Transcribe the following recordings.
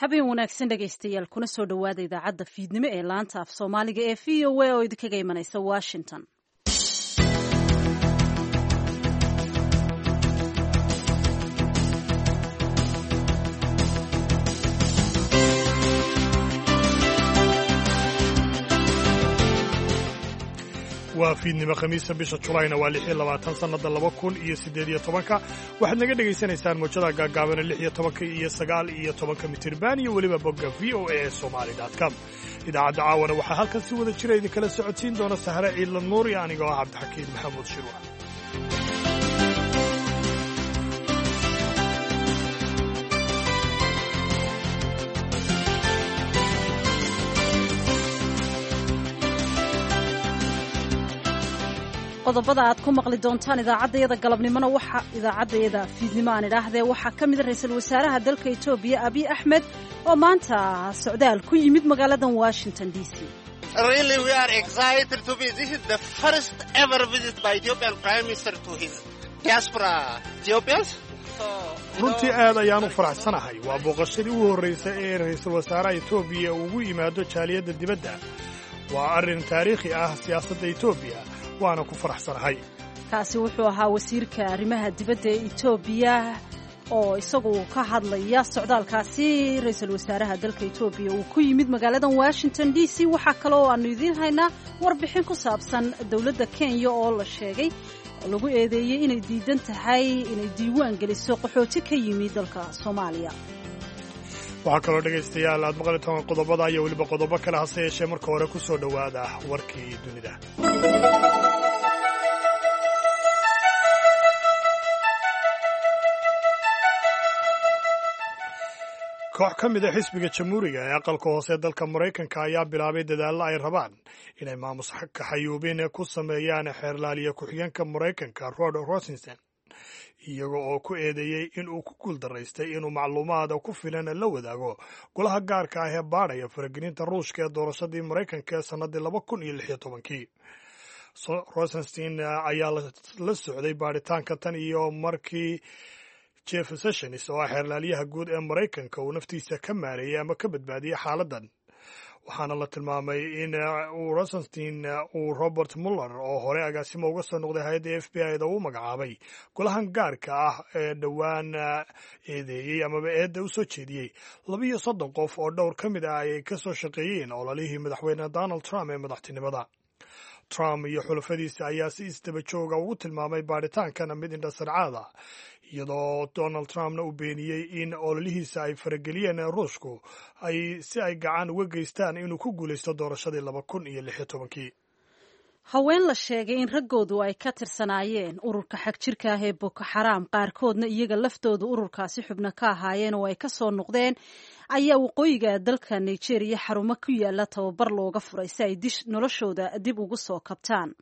Habeen wanaagsan dhegaystayaal, kuna soo dhowaada idaacadda fiidnimo ee laanta af Soomaaliga ee VOA oo idinkaga imanaysa Washington. Waa fiidnimo Khamiisa, bisha Julayna waa 26, sannadda 2018-ka. Waxaad naga dhegaysanaysaan mowjadaha gaagaabana 16-ka iyo 19-ka mitirban iyo weliba bogga VOA Somali com. Idaacadda caawana waxaa halkan si wada jira idinkala socodsiin doona Sahre Ciidla Nuur iyo anigoo ah Cabdixakiin Maxamuud Shirwa. Qodobada aad ku maqli doontaan idaacaddayada galabnimona waxa idaacaddayada fiidnimo aan idhaahdee waxaa ka mid ra-iisul wasaaraha dalka Etoobiya Abiy Axmed oo maanta socdaal ku yimid magaaladan Washington DC. Really, we are excited to be. This is the first ever visit by Ethiopian Prime Minister to his diaspora Ethiopians. Runtii aad ayaan u faraxsanahay. Waa booqashadii ugu horraysay ee ra'iisul wasaaraha Etoobiya ugu yimaado jaaliyadda dibadda. Waa arrin taariikhi ah siyaasadda Etoobiya, waana ku faraxsanahay. Kaasi wuxuu ahaa wasiirka arrimaha dibadda ee Etoobiya oo isagu ka hadlaya socdaalkaasi ra-iisul wasaaraha dalka Etoobiya uu ku yimid magaaladan Washington DC. Waxaa kale oo aanu idiin haynaa warbixin ku saabsan dowladda Kenya oo la sheegay lagu eedeeyey inay diidan tahay inay diiwaan geliso qaxooti ka yimid dalka Soomaaliya. Waxaa kaloo dhegaystayaal aad maqli toban qodobada iyo weliba qodobo kale, hase yeeshee marka hore ku soo dhowaada warkii dunida. Koox ka mid a xisbiga Jamhuuriga ee aqalka hoose dalka Maraykanka ayaa bilaabay dadaallo ay rabaan inay maamus kaxayuubin ku sameeyaan xeerlaaliya ku-xigeenka Maraykanka Rod Rosenstein, iyaga oo ku eedeeyey in uu ku guuldaraystay inuu macluumaad ku filan la wadaago golaha gaarka ah ee baadhaya faragelinta Ruushka ee doorashadii Maraykanka ee sannaddii 2016-kii. Rosenstein ayaa la socday baadhitaanka tan iyo markii Jeff Sessions oo ah xeerlaaliyaha guud ee Maraykanka uu naftiisa ka maareeyey ama ka badbaadiyey xaaladdan, waxaana la tilmaamay in uu Rosenstein uu Robert Muller oo hore agaasimo uga soo noqday hay-adda FBI da uu magacaabay golahan gaarka ah ee dhowaan eedeeyey amaba eedda u soo jeediyey 32 qof oo dhowr ka mid ah ay ka soo shaqeeyeen ololihii madaxweyne Donald Trump ee madaxtinimada. Trump iyo xulafadiisa ayaa si isdaba jooga ugu tilmaamay baadhitaankana mid indhasarcaada, iyadoo Donald Trumpna uu beeniyey in ololihiisa ay farageliyeen Ruushku ay si ay gacan uga geystaan inuu ku guulaysto doorashadii 2016-kii. Haween la sheegay in raggoodu ay ka tirsanaayeen ururka xagjirka ah ee Boko Xaraam, qaarkoodna iyaga laftoodu ururkaasi xubno ka ahaayeen oo ay ka soo noqdeen, ayaa waqooyiga dalka Nigeria xarumo ku yaala tababar looga furay si ay noloshooda dib ugu soo kabtaan.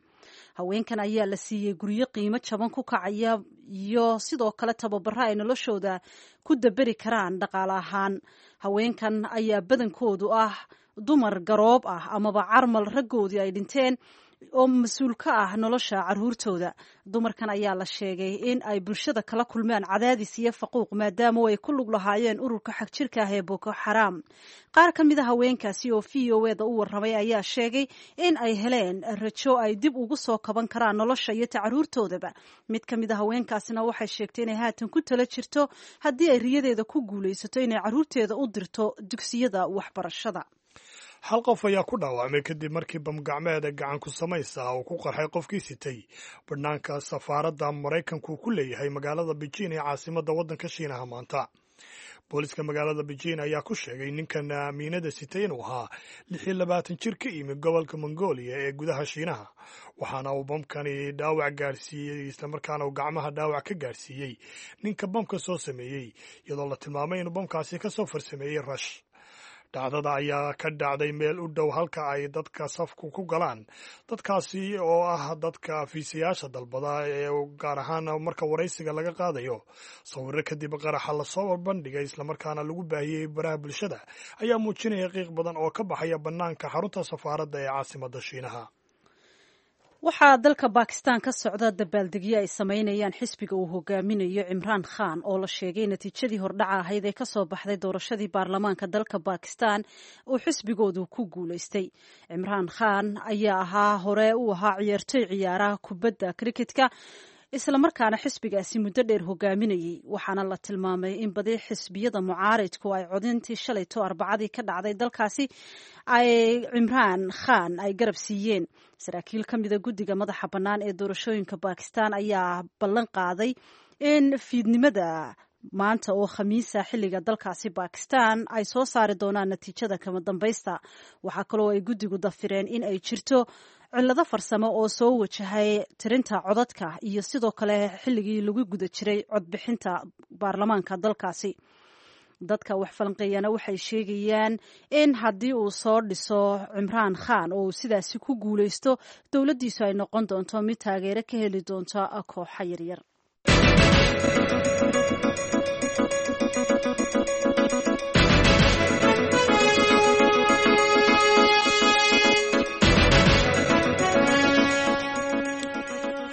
Haweenkan ayaa la siiyey guryo qiimo jaban ku kacaya iyo sidoo kale tababaro ay noloshooda ku daberi karaan dhaqaale ahaan. Haweenkan ayaa badankoodu ah dumar garoob ah amaba carmal raggoodii ay dhinteen oo mas-uul ka ah nolosha caruurtooda. Dumarkan ayaa la sheegay in ay bulshada kala kulmaan cadaadis iyo faquuq maadaama ay ku lug lahaayeen ururka xagjirka ah ee Boko Xaraam. Qaar ka mid a haweenkaasi oo VOA da u warramay ayaa sheegay in ay heleen rajo ay dib ugu soo kaban karaan nolosha iyo tacaruurtoodaba. Mid ka mid a haweenkaasina waxay sheegtay inay haatan ku tala jirto haddii ay riyadeeda ku guulaysato inay caruurteeda u dirto dugsiyada waxbarashada. Hal qof ayaa ku dhaawacmay kadib markii bamgacmeeda gacan ku samaysa uu ku qarxay qofkii sitay bannaanka safaaradda Maraykanku ku leeyahay magaalada Beijing ee caasimadda waddanka Shiinaha maanta. Booliska magaalada Beijing ayaa ku sheegay ninkan miinada sitay inuu ahaa 26 jir ka yimid gobolka Mongolia ee gudaha Shiinaha, waxaana uu bamkani dhaawac gaarsiiyey, islamarkaana uu gacmaha dhaawac ka gaarsiiyey ninka bamka soo sameeyey, iyadoo la tilmaamay inuu bamkaasi ka soo farsameeyey Rush. Dhacdada ayaa ka dhacday meel u dhow halka ay dadka safku ku galaan, dadkaasi oo ah dadka fiisayaasha dalbada ee gaar ahaan marka waraysiga laga qaadayo. Sawirro kadib qaraxa lasoo bandhigay islamarkaana lagu baahiyey baraha bulshada ayaa muujinaya qiiq badan oo ka baxaya bannaanka xarunta safaaradda ee caasimadda Shiinaha. Waxaa dalka Bakistan ka socda dabaaldegyo ay samaynayaan xisbiga uu hogaaminayo Cimraan Khan, oo la sheegay natiijadii hordhaca ahayd ee kasoo baxday doorashadii baarlamaanka dalka Bakistan uu xisbigoodu ku guulaystay. Cimraan Khan ayaa ahaa hore u ahaa ciyaartoy ciyaaraha kubadda cricketka, islamarkaana xisbigaasi muddo dheer hogaaminayay. Waxaana la tilmaamay in badi xisbiyada mucaaridku ay codintii shalayto Arbacadii ka dhacday dalkaasi ay Cimraan Khan ay garab siiyeen. Saraakiil ka mida guddiga madaxa bannaan ee doorashooyinka Bakistan ayaa ballan qaaday in fiidnimada maanta oo Khamiisa xilliga dalkaasi Bakistan ay soo saari doonaan natiijada kama dambaysta. Waxaa kaloo ay guddigu dafireen in ay jirto cillado farsamo oo soo wajahay tirinta codadka iyo sidoo kale xilligii lagu guda jiray codbixinta baarlamaanka dalkaasi. Dadka wax falanqeeyana waxay sheegayaan in haddii uu soo dhiso Cimraan Khan oo uu sidaasi ku guuleysto, dowladdiisu ay noqon doonto mid taageero ka heli doonta kooxa yaryar.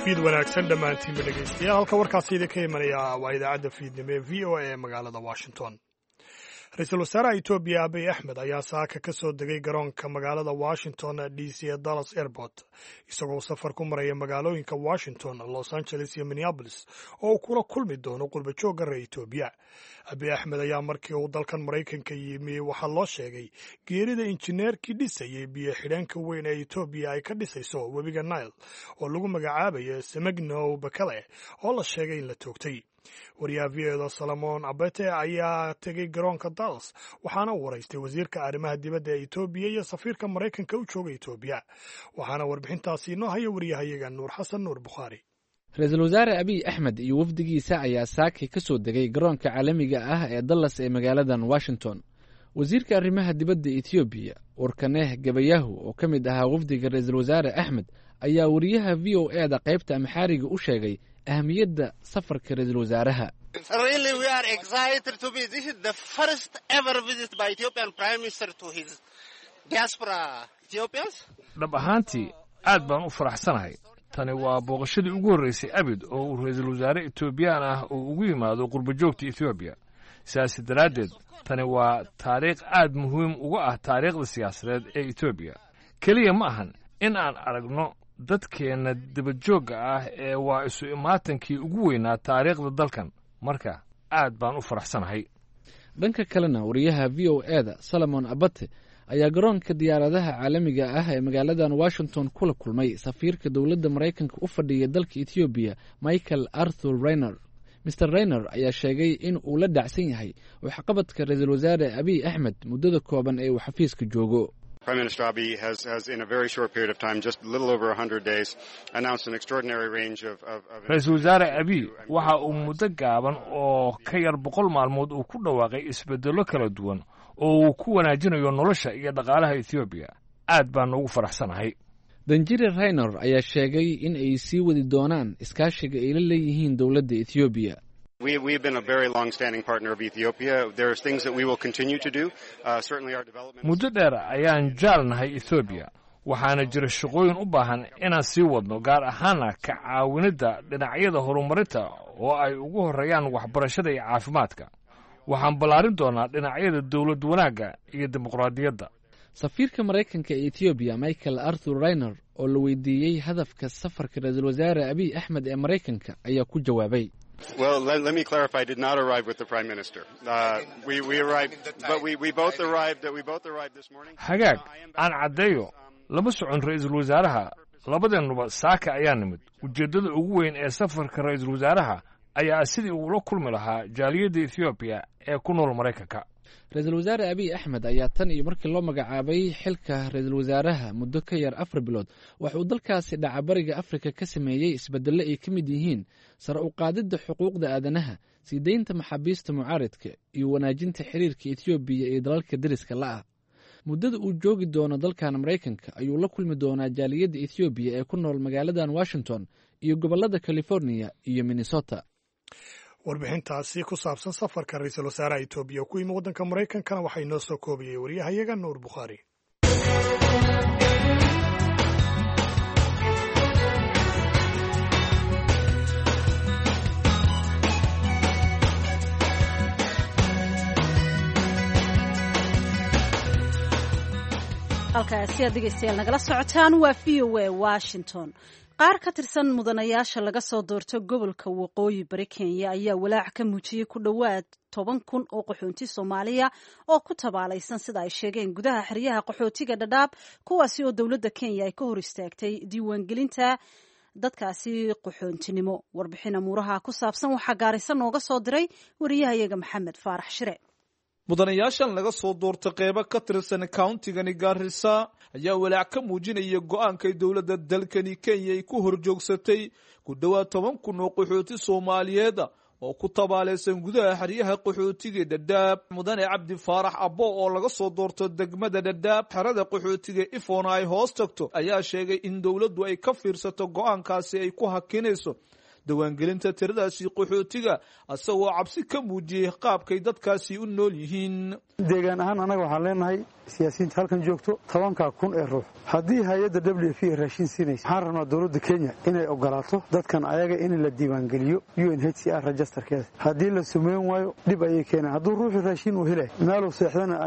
Fiid wanaagsan dhammaantiinba dhegaystayaal. Halka warkaasi idinka imanaya waa idaacadda fiidnimo ee VOA ee magaalada Washington. Ra-iisul wasaaraha Etoobiya Abiy Axmed ayaa saaka ka soo degay garoonka magaalada Washington DC ee Dallas Airport, isagoo safar ku maraya magaalooyinka Washington, Los Angeles iyo Minneapolis oo uu kula kulmi doono qurbajoogga reer Etoobiya. Abiy Axmed ayaa markii uu dalkan Maraykanka yimi waxaa loo sheegay geerida injineerkii dhisayay biyo xidheenka weyn ee Etoobiya ay ka dhisayso webiga Nile oo lagu magacaabayo Semegnow Bekele, oo la sheegay in la toogtay. Wariyaha VOda Solomon Abete ayaa tegey garoonka Dallas, waxaana uu waraystay wasiirka arrimaha dibadda ee Etoobiya iyo safiirka Maraykanka u jooga Etoobiya. Waxaana warbixintaasi inoo haya wariyahayaga Nuur Xasan Nuur Bukhaari. Ra-iisul wasaare Abiy Axmed iyo wafdigiisa ayaa saakay ka soo degay garoonka caalamiga ah ee Dallas ee magaaladan Washington. Wasiirka arrimaha dibadda Etoobiya Warkaneh Gabayahu, oo ka mid ahaa wafdiga ra-iisul wasaare Axmed, ayaa wariyaha VOA da qaybta Amxaariga u sheegay ahamiyadda safarka ra-iisul wasaaraha. Really, we are excited to be. This is the first ever visit by Ethiopian Prime Minister to his diaspora Ethiopians. Dhab ahaantii aad baan u faraxsanahay. Tani waa booqashadii ugu horraysay abid oo uu ra-iisul wasaare Etoobiyaan ah uu ugu yimaado qurbajoogta Etoobiya. Sidaas daraaddeed tani waa taariikh aad muhiim uga ah taariikhda siyaasadeed ee Etoobiya. Keliya ma ahan in aan aragno dadkeenna dibadjoogga ah ee waa isu imaatankii ugu weynaa taariikhda dalkan. Marka aad baan u faraxsanahay. Dhanka kalena, wariyaha VOA da Solomon Abate ayaa garoonka diyaaradaha caalamiga ah ee magaaladan Washington kula kulmay safiirka dowladda Maraykanka u fadhiya dalka Etoobiya, Michael Arthur Raynor. Mr Raynor ayaa sheegay in uu la dhacsan yahay waxqabadka ra-iisul wasaare Abiy Axmed muddada kooban ee uu xafiiska joogo. Prime Minister Abiy has in a very short period of time, just a little over 100 days, announced an extraordinary range of Ra-iisul wasaare Abiy waxa uu muddo gaaban oo ka yar 100 maalmood uu ku dhawaaqay isbeddello kala duwan oo uu ku wanaajinayo nolosha iyo dhaqaalaha Etoobiya. Aad baan ugu faraxsanahay. Danjire Raynor ayaa sheegay in ay sii wadi doonaan iskaashiga ay la leeyihiin dowladda Etoobiya. We've been a very long-standing partner of Ethiopia. There's things that we will continue to do. Certainly our development. Muddo dheer ayaan jaal nahay Etoobiya, waxaana jira shaqooyin u baahan inaan sii wadno, gaar ahaana ka caawinidda dhinacyada horumarinta oo ay ugu horreeyaan waxbarashada iyo caafimaadka. Waxaan ballaarin doonaa dhinacyada dowlad wanaagga iyo dimuqraadiyadda. Safiirka Maraykanka ee Etoobiya Michael Arthur Raynor oo la weydiiyey hadafka safarka ra-iisul wasaare Abiy Axmed ee Maraykanka ayaa ku jawaabay: Well, let me clarify. I did not arrive with the Prime Minister. We arrived, but we both arrived. We both arrived this morning. Hagaag, aan caddeeyo, lama socon ra-iisul wasaaraha. Labadeennuba saaka ayaa nimid. Ujeeddada ugu weyn ee safarka ra-iisul wasaaraha ayaa sidii uula kulmi lahaa jaaliyadda Etoobiya ee ku nool Maraykanka. Ra-iisul wasaare Abiy Axmed ayaa tan iyo markii loo magacaabay xilka ra-iisul wasaaraha muddo ka yar 4 bilood waxa uu dalkaasi dhacabariga Afrika ka sameeyey isbeddello ay ka mid yihiin sare u qaadidda xuquuqda aadanaha, sii deynta maxaabiista mucaaridka iyo wanaajinta xiriirka Etoobiya iyo dalalka deriska la'ah. Muddada uu joogi doono dalkan Maraykanka ayuu la kulmi doonaa jaaliyadda Etoobiya ee ku nool magaaladan Washington iyo gobollada Californiya iyo Minnesota. Warbixintaasi ku saabsan safarka ra-iisul wasaaraha Etoobiya ku yimi waddanka Maraykankana waxaa inoo soo koobayay wariyahayaga Nuur Bukhaari. Halkaasi aad dhegeystayaal nagala socotaan waa VOA Washington. Qaar ka tirsan mudanayaasha laga soo doorto gobolka Waqooyi Bari Kenya ayaa walaac ka muujiyey ku dhowaad 10,000 oo qaxoonti Soomaaliya oo ku tabaalaysan, sida ay sheegeen, gudaha xeryaha qaxootiga Dhadhaab, kuwaasi oo dowladda Kenya ay ka hor istaagtay diiwaangelinta dadkaasi qaxoontinimo. Warbixin amuuraha ku saabsan waxaa Gaarisa nooga soo diray wariyahayaga Maxamed Faarax Shire. Mudanayaashan laga soo doortay qeybo ka tirsan countigani Gaarisa ayaa walaac ka muujinaya go-aankay dowladda dalkani Kenya ay ku horjoogsatay ku dhowaad 10,000 oo qaxooti Soomaaliyeed oo ku tabaalaysan gudaha xeryaha qaxootiga Dhadhaab. Mudane Cabdi Faarax Abbo oo laga soo doorto degmada Dhadhaab, xerada qaxootiga Ifona ay hoos tagto, ayaa sheegay in dowladdu ay ka fiirsato go-aankaasi ay ku hakinayso diiwaangelinta tiradaasi qaxootiga, isagoo cabsi ka muujiyey qaabkay dadkaasi u nool yihiin. Deegaan ahaan annaga waxaan leenahay siyaasiyiinta halkan joogto, 10,000 ee ruux haddii hay-adda WFP ay raashin siinaysa, waxaan rabnaa dowladda Kenya inay ogolaato dadkan ayaga in la diiwaangeliyo UNHCR registerkeeda. Haddii la sumeyn waayo, dhib ayay keenaan. Hadduu ruuxu raashin uu helay, meeluu seexdana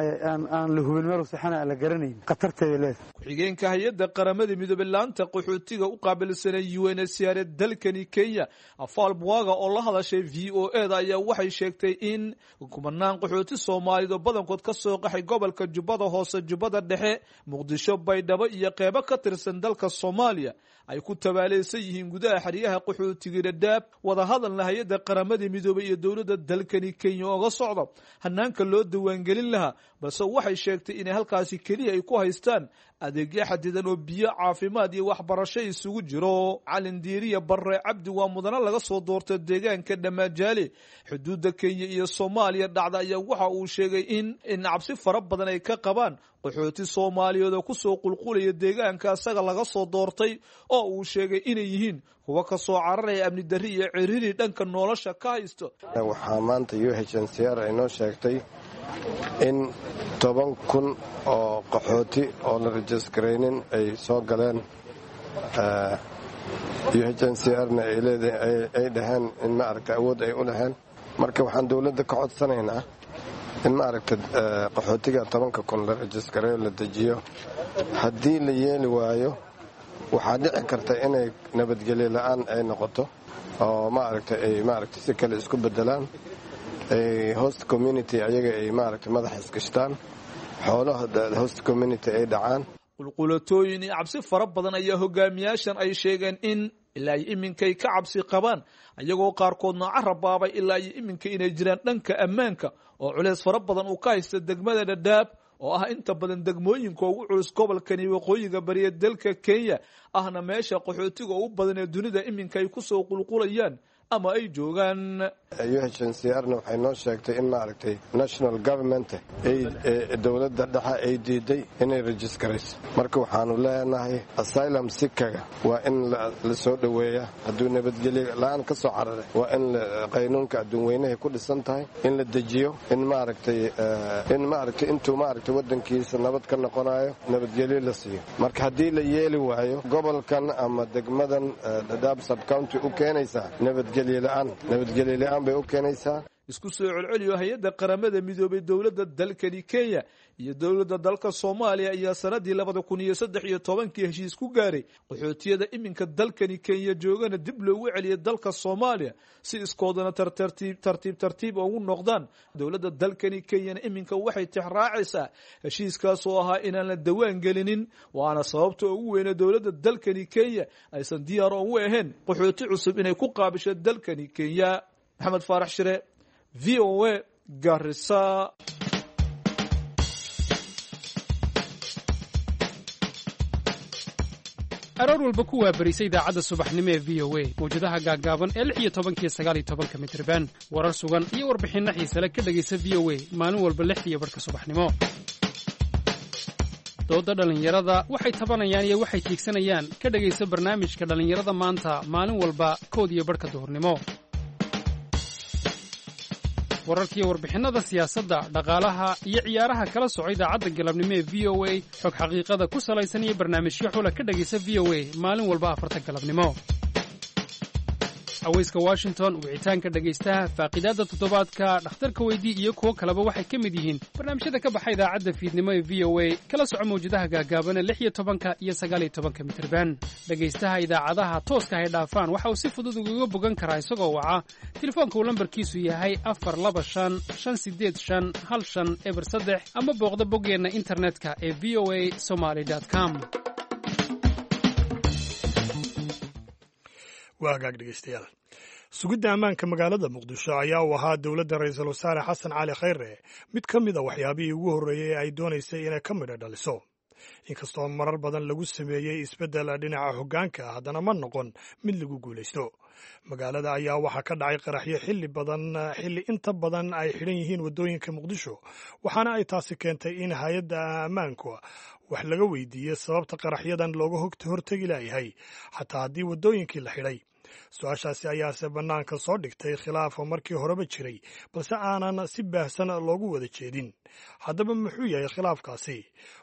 aan la hubin, meeluu seexana aan la garanayn, khatarteeda leedahay. Ku-xigeenka hay-adda Qaramada Midoobey laanta qaxootiga u qaabilsanay UNHCR dalkani Kenya, Afaal Bwaga, oo la hadashay VOA da ayaa waxay sheegtay in kumanaan qaxooti Soomaaliyeed oo badankood ka soo qaxay gobolka Jubbada Hoose, Jubbada Dhexe, Muqdisho, Baydhabo iyo qeybo ka tirsan dalka Soomaaliya ay ku tabaalaysan yihiin gudaha xeryaha qaxootiga Dhadhaab. Wadahadalna hay-adda Qaramada Midoobey iyo dowladda dalkani Kenya oga socdo hanaanka loo diiwaangelin lahaa, balse waxay sheegtay inay halkaasi keliya ay ku haystaan adeegyo xadidan oo biyo, caafimaad iyo waxbarasho isugu jiro. Calin Diiriya Barre Cabdi waa mudane laga soo doortay deegaanka Dhamaajaale, xuduudda Kenya iyo Soomaaliya dhacda, ayaa waxa uu sheegay in cabsi fara badan ay ka qabaan qaxooti Soomaaliyeed oo kusoo qulqulaya deegaanka isaga laga soo doortay, oo uu sheegay inay yihiin kuwa ka soo cararaya amni darri iyo ciriri dhanka nolosha ka haysto. Waxaa maanta UNHCR ay noo sheegtay in 10,000 oo qaxooti oo la rajiskaraynin ay soo galeen. UNHCR-na ay dhaheen in maaragta awood ay u dhaheen. Marka waxaan dowladda ka codsanaynaa in maaragta qaxootiga 10,000 la rajiskareeyo, la dejiyo. Haddii la yeeli waayo, waxaa dhici karta inay nabadgelyo la'aan ay noqoto oo maaragta ay maaragta si kale isku bedelaan, ay host community ayaga ay maaragta madaxa isgashtaan, xoolaha host community ay dhacaan. Qulqulatooyin iyo cabsi fara badan ayaa hogaamiyaashan ay sheegeen in ilaa iyo iminkay ka cabsi qabaan, ayagoo qaarkoodna carabaabay ilaa iyo iminka inay jiraan dhanka ammaanka oo culeys fara badan uu ka haysta degmada Dhadhaab, oo ah inta badan degmooyinka ugu culus gobolkani waqooyiga bariya dalka Kenya, ahna meesha qaxootiga ugu badan ee dunida iminka ay kusoo qulqulayaan ama ay joogaan. UNHCR-na waxay noo sheegtay in maaragtay national government, dowladda dhexe, ay diiday inay rajiskarayso. Marka waxaanu leenahay asylum seekerga waa in la soo dhoweeya. Hadduu nabadgelyo la-aan ka soo cararay, waa in qaynuunka adduun weynahay ku dhisan tahay in la dejiyo, in maaragtay intuu maaragtay waddankiisa nabad ka noqonayo nabadgelyo la siiyo. Marka haddii la yeeli waayo, gobolkan ama degmadan Dhadhaab subcounty u keenaysaa nabadgelyo la-aan bay u keenaysaa. Isku soo celceliyo, hay-adda Qaramada Midoobay, dowladda dalkani Kenya iyo dowladda dalka Soomaaliya ayaa sanadii 2013-kii heshiis ku gaaray qaxootiyada iminka dalkani Kenya joogana dib loogu celiyay dalka Soomaaliya, si iskoodana tartiib tartiib ugu noqdaan. Dowladda dalkani Kenyana iminka waxay tixraacaysaa heshiiskaas oo ahaa inaan la dawaan gelinin, waana sababta ugu weyne dowladda dalkani Kenya aysan diyaar ugu ahayn qaxooti cusub inay ku qaabisho dalkani Kenya. Maxamed Faarax Shire, VOA, Garissa. Aroor walba ku waabarisa idaacadda subaxnimo ee VOA, mawjadaha gaaggaaban ee 16-ka iyo 19-ka mitriban. Warar sugan iyo warbixinno xiisale ka dhegaysa VOA maalin walba 6:30 subaxnimo. Doodda dhallinyarada, waxay tabanayaan iyo waxay tiigsanayaan, ka dhegaysa barnaamijka Dhallinyarada Maanta maalin walba 1:30 duhurnimo. Wararkiiyo warbixinnada siyaasadda, dhaqaalaha iyo ciyaaraha kala soco idaacadda galabnimo ee VOA. Xog xaqiiqada ku salaysan iyo barnaamijyo xula ka dhegaysa VOA maalin walba 4-ta galabnimo. Aweyska Washington, Wicitaanka Dhegaystaha, Faaqidaadda Toddobaadka, Dhakhtarka Weydii iyo kuwo kaleba waxay ka mid yihiin barnaamijyada ka baxa idaacadda fiidnimo ee VOA. Kala soco mawjadaha gaagaaban 16 iyo 19 mitirban. Dhegaystaha idaacadaha tooska hay dhaafaan waxa uu si fudud ugaga bogan karaa isagoo waca telefoonka uu lambarkiisu yahay 425 585 1503, ama booqda boggeenna internetka ee voasomali.com. Waa hagaag, dhegeystayaal. Sugidda ammaanka magaalada Muqdisho ayaa u ahaa dowladda Ra-iisul Wasaare Xasan Cali Khayre mid ka mid a waxyaabihii ugu horreeyey ee ay doonaysay inay ka midho dhaliso. Inkastoo marar badan lagu sameeyey isbeddel dhinaca hoggaanka, haddana ma noqon mid lagu guulaysto. Magaalada ayaa waxaa ka dhacay qaraxyo xilli badan, xilli inta badan ay xidhan yihiin waddooyinka Muqdisho, waxaana ay taasi keentay in hay-adda ammaanku wax laga weydiiyey sababta qaraxyadan looga hortegi laayahay xataa haddii waddooyinkii la xidhay. Su-aashaasi ayaase bannaanka soo dhigtay khilaafa markii horeba jiray, balse aanan si baahsan loogu wada jeedin. Haddaba muxuu yahay khilaafkaasi?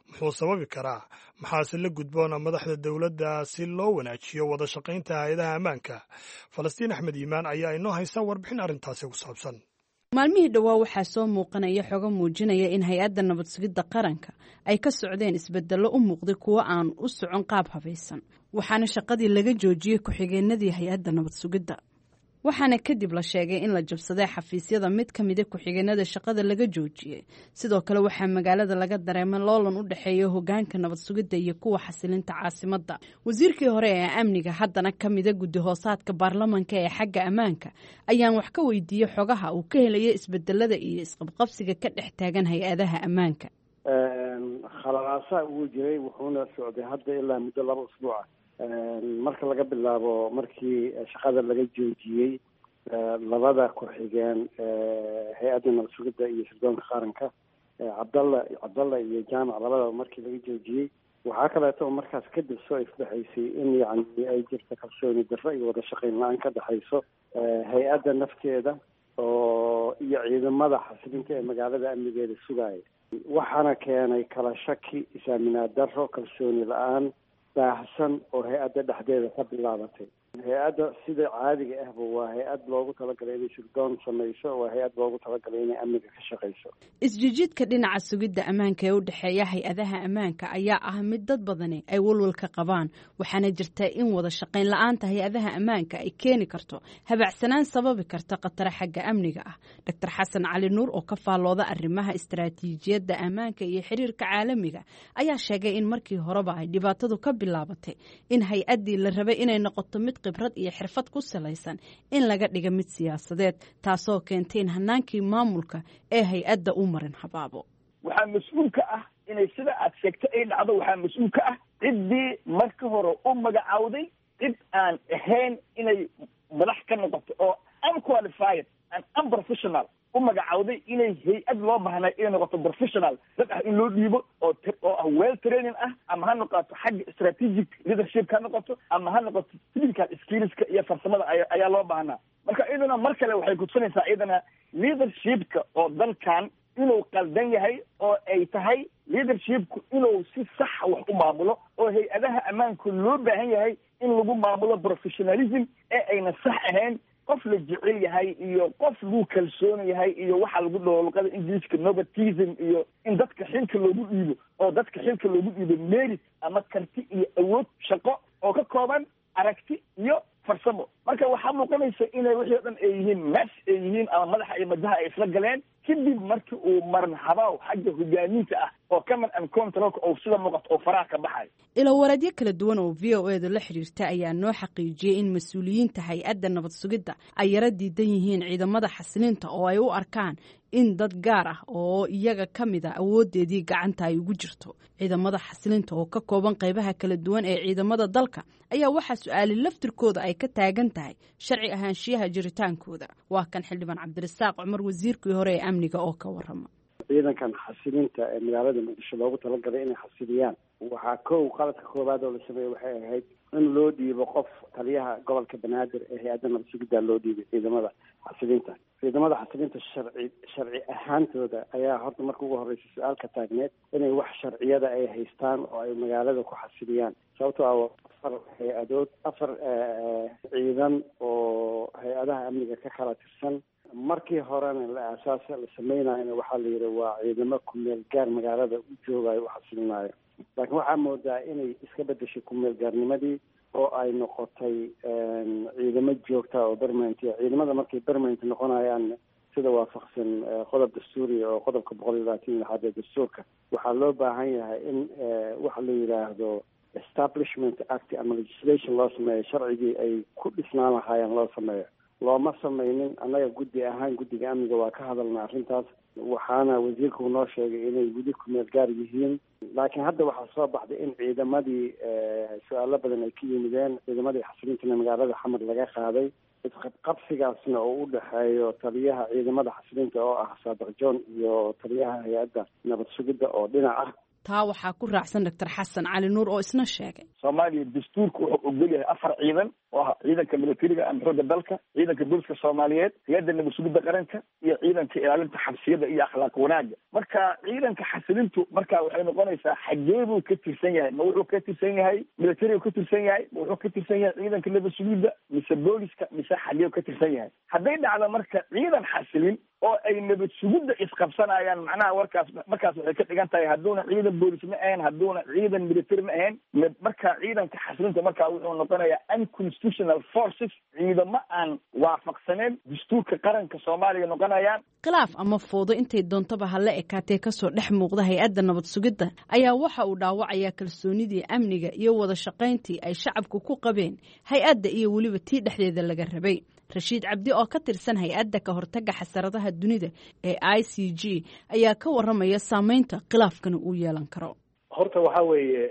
Muxuu sababi karaa? Maxaase la gudboon madaxda dowladda si loo wanaajiyo wada shaqaynta hay-adaha ammaanka? Falastiin Axmed Iimaan ayaa inoo haysa warbixin arrintaasi ku saabsan. Maalmihii dhowaa waxaa soo muuqanaya xogo muujinaya in hay-adda nabad sugidda qaranka ay ka socdeen isbedello u muuqday kuwo aan u socon qaab habaysan, waxaana shaqadii laga joojiyey ku-xigeenadii hay-adda nabad sugidda, waxaana kadib la sheegay in la jabsaday xafiisyada mid ka mida ku-xigeenada shaqada laga joojiyey. Sidoo kale, waxaa magaalada laga dareemay loolan u dhexeeya hogaanka nabad sugidda iyo kuwa xasilinta caasimadda. Wasiirkii hore ee amniga, haddana ka mida guddi hoosaadka baarlamanka ee xagga ammaanka, ayaan wax ka weydiiyey xogaha uu ka helaya isbedelada iyo isqabqabsiga ka dhex taagan hay-adaha ammaanka. Khalalaasaa ugu jiray, wuxuuna socday hadda ilaa muddo 2 usbuuca, marka laga bilaabo markii shaqada laga joojiyey labada ku-xigeen hay-adda nabad sugidda iyo sirdoonka qaranka, Cabdalla iyo Jaamac, labadaba markii laga joojiyey. Waxaa kaleeto oo markaas kadib soo ifbaxaysay in yacni ay jirto kalsooni darro iyo wada shaqayn la-aan ka dhexayso hay-adda nafteeda oo iyo ciidamada xasilinta ee magaalada amnigeeda sugaaya. Waxaana keenay kala shaki, is-aaminaad darro, kalsooni la-aan baahsan oo hay-adda dhexdeeda ka bilaabatay. Hay-adda sida caadiga ahba waa hay-ad loogu talagalay inay sirdoon samayso, waa hay-ad loogu talagalay inay amniga ka shaqayso. Isjijiidka dhinaca sugidda ammaanka ee u dhexeeya hay-adaha ammaanka ayaa ah mid dad badani ay walwalka qabaan, waxaana jirta in wada shaqayn la-aanta hay-adaha ammaanka ay keeni karto habacsanaan sababi karta khataro xagga amniga ah. Doctor Xasan Cali Nuur oo ka faallooda arrimaha istaraatiijiyadda ammaanka iyo xiriirka caalamiga ayaa sheegay in markii horeba ay dhibaatadu ka bilaabatay in hay-addii la rabay inay noqoto mid khibrad iyo xirfad ku salaysan in laga dhiga mid siyaasadeed, taasoo keentay in hanaankii maamulka ee hay-adda u marin habaabo. Waxaa mas-uul ka ah inay sida aad sheegtay ay dhacdo. Waxaa mas-uul ka ah ciddii marka hore u magacawday cid aan ahayn inay madax ka noqoto, oo unqualified and unprofessional u magacawday inay hay-ad loo baahnay inay noqoto professional dad ah in loo dhiibo, oo ah well training ah, ama ha noqoto xagga strategic leadership ha noqoto, ama ha noqoto technical skillska iyo farsamada ayaa loo baahnaa. Marka iyaduna mar kale waxay kutusinaysaa iyadana leadershipka oo dalkan inuu qaldan yahay, oo ay tahay leadershipku inuu si saxa wax u maamulo, oo hay-adaha ammaanku loo baahan yahay in lagu maamulo professionalism ee ayna sax ahayn qof la jecel yahay iyo qof lagu kalsoon yahay iyo waxa lagu dhaho luqada Ingiliiska nepotism, iyo in dadka xilka loogu dhiibo, oo dadka xilka loogu dhiibo merit ama karti iyo awood shaqo oo ka kooban aragti iyo farsamo. Marka waxaa muuqanaysa inay wixii o dhan ay yihiin mess ay yihiin, ama madaxa iyo madaha ay isla galeen kadib markii uu maran habaaw xagga hogaaminta ah oo command and controlka oo sida muuqato oo faraha ka baxay. Ilowareedyo kala duwan oo VOA-da la xiriirta ayaa noo xaqiijiyey in mas-uuliyiinta hay-adda nabad sugidda ay yaro diidan yihiin ciidamada xasilinta, oo ay u arkaan in dad gaar ah oo iyaga ka mid a awoodeedii gacanta ay ugu jirto. Ciidamada xasilinta oo ka kooban qaybaha kala duwan ee ciidamada dalka ayaa waxaa su-aali laftirkooda ay ka taagan tahay sharci ahaanshiyaha jiritaankooda. Waa kan Xildhibaan Cabdirasaaq Cumar, wasiirkii hore ee amniga, oo ka warama. Ciidankan xasilinta ee magaalada Muqdisho loogu talagalay inay xasiliyaan, waxaa kow qaladka koowaad oo la sameeyey waxay ahayd in loo dhiibo qof taliyaha gobolka Banaadir ee hay-adda nabad sugidda loo dhiibay ciidamada xasilinta. Ciidamada xasilinta sharci ahaantooda ayaa horta marka ugu horeysa su-aal ka taagneed inay wax sharciyada ay haystaan oo ay magaalada ku xasiliyaan, sababtoo ah Afar hay-adood, afar ciidan oo hay-adaha amniga ka kala tirsan. Markii horena la aasaasa la sameynayona waxaa la yidhi waa ciidamo kumeel gaar magaalada u joogayo, u xasilinayo, laakiin waxaa moodaa inay iska bedeshay kumeel gaarnimadii oo ay noqotay ciidamo joogta oo permanent. Ciidamada markay permanent noqonayaan, sida waafaqsan qodob dastuuriya oo qodobka 126aad ee dastuurka, waxaa loo baahan yahay in waxa la yidhaahdo Establishment Act ama legislation loo sameeyo, sharcigii ay ku dhisnaan lahaayeen loo sameeyo. Looma sameynin. Annaga guddi ahaan, guddiga amniga, waa ka hadalna arrintaas, waxaana wasiirku noo sheegay inay weli kumeel gaar yihiin. Laakiin hadda waxaa soo baxday in ciidamadii su-aalo badan ay ka yimideen, ciidamadii xasilintana magaalada Xamar laga qaaday, isqabqabsigaasna oo u dhexeeyo taliyaha ciidamada xasilinta oo ah Saadiq John iyo taliyaha hay-adda nabad sugidda oo dhinac ah. Taa waxaa ku raacsan Doctor Xasan Cali Nuur oo isna sheegay. Soomaaliya dastuurka wuxuu ogol yahay afar ciidan oo ah ciidanka militariga ama xoogga dalka, ciidanka booliska Soomaaliyeed, hay-adda nabad sugidda qaranka iyo ciidanka ilaalinta xabsiyada iyo akhlaaq wanaagga. Marka ciidanka xasilintu marka waxay noqonaysaa, xagee buu ka tirsan yahay? Ma wuxuu ka tirsan yahay militariga ka tirsan yahay? Ma wuxuu ka tirsan yahay ciidanka nabad sugidda mise booliska mise xagee ka tirsan yahay? Hadday dhacdo marka ciidan xasilin oo ay nabad sugidda isqabsanayaan, macnaha warkaas markaas waxay ka dhigan tahay hadduuna ciidan boolis ma ahayn, hadduuna ciidan military ma ahayn, marka ciidanka xasilinta markaa wuxuu noqonayaa unconstitutional forces, ciidamo aan waafaqsaneyn dastuurka qaranka Soomaaliya noqonayaan. Khilaaf ama fowdo intay doontaba ha la ekaatee kasoo dhex muuqda hay-adda nabad sugidda ayaa waxa uu dhaawacayaa kalsoonidii amniga iyo wada shaqayntii ay shacabku ku qabeen hay-adda iyo weliba tii dhexdeeda laga rabay. Rashiid Cabdi oo ka tirsan hay-adda ka hortagga xasaradaha dunida ee ICG ayaa ka waramaya saameynta khilaafkana uu yeelan karo. Horta waxaa weeye,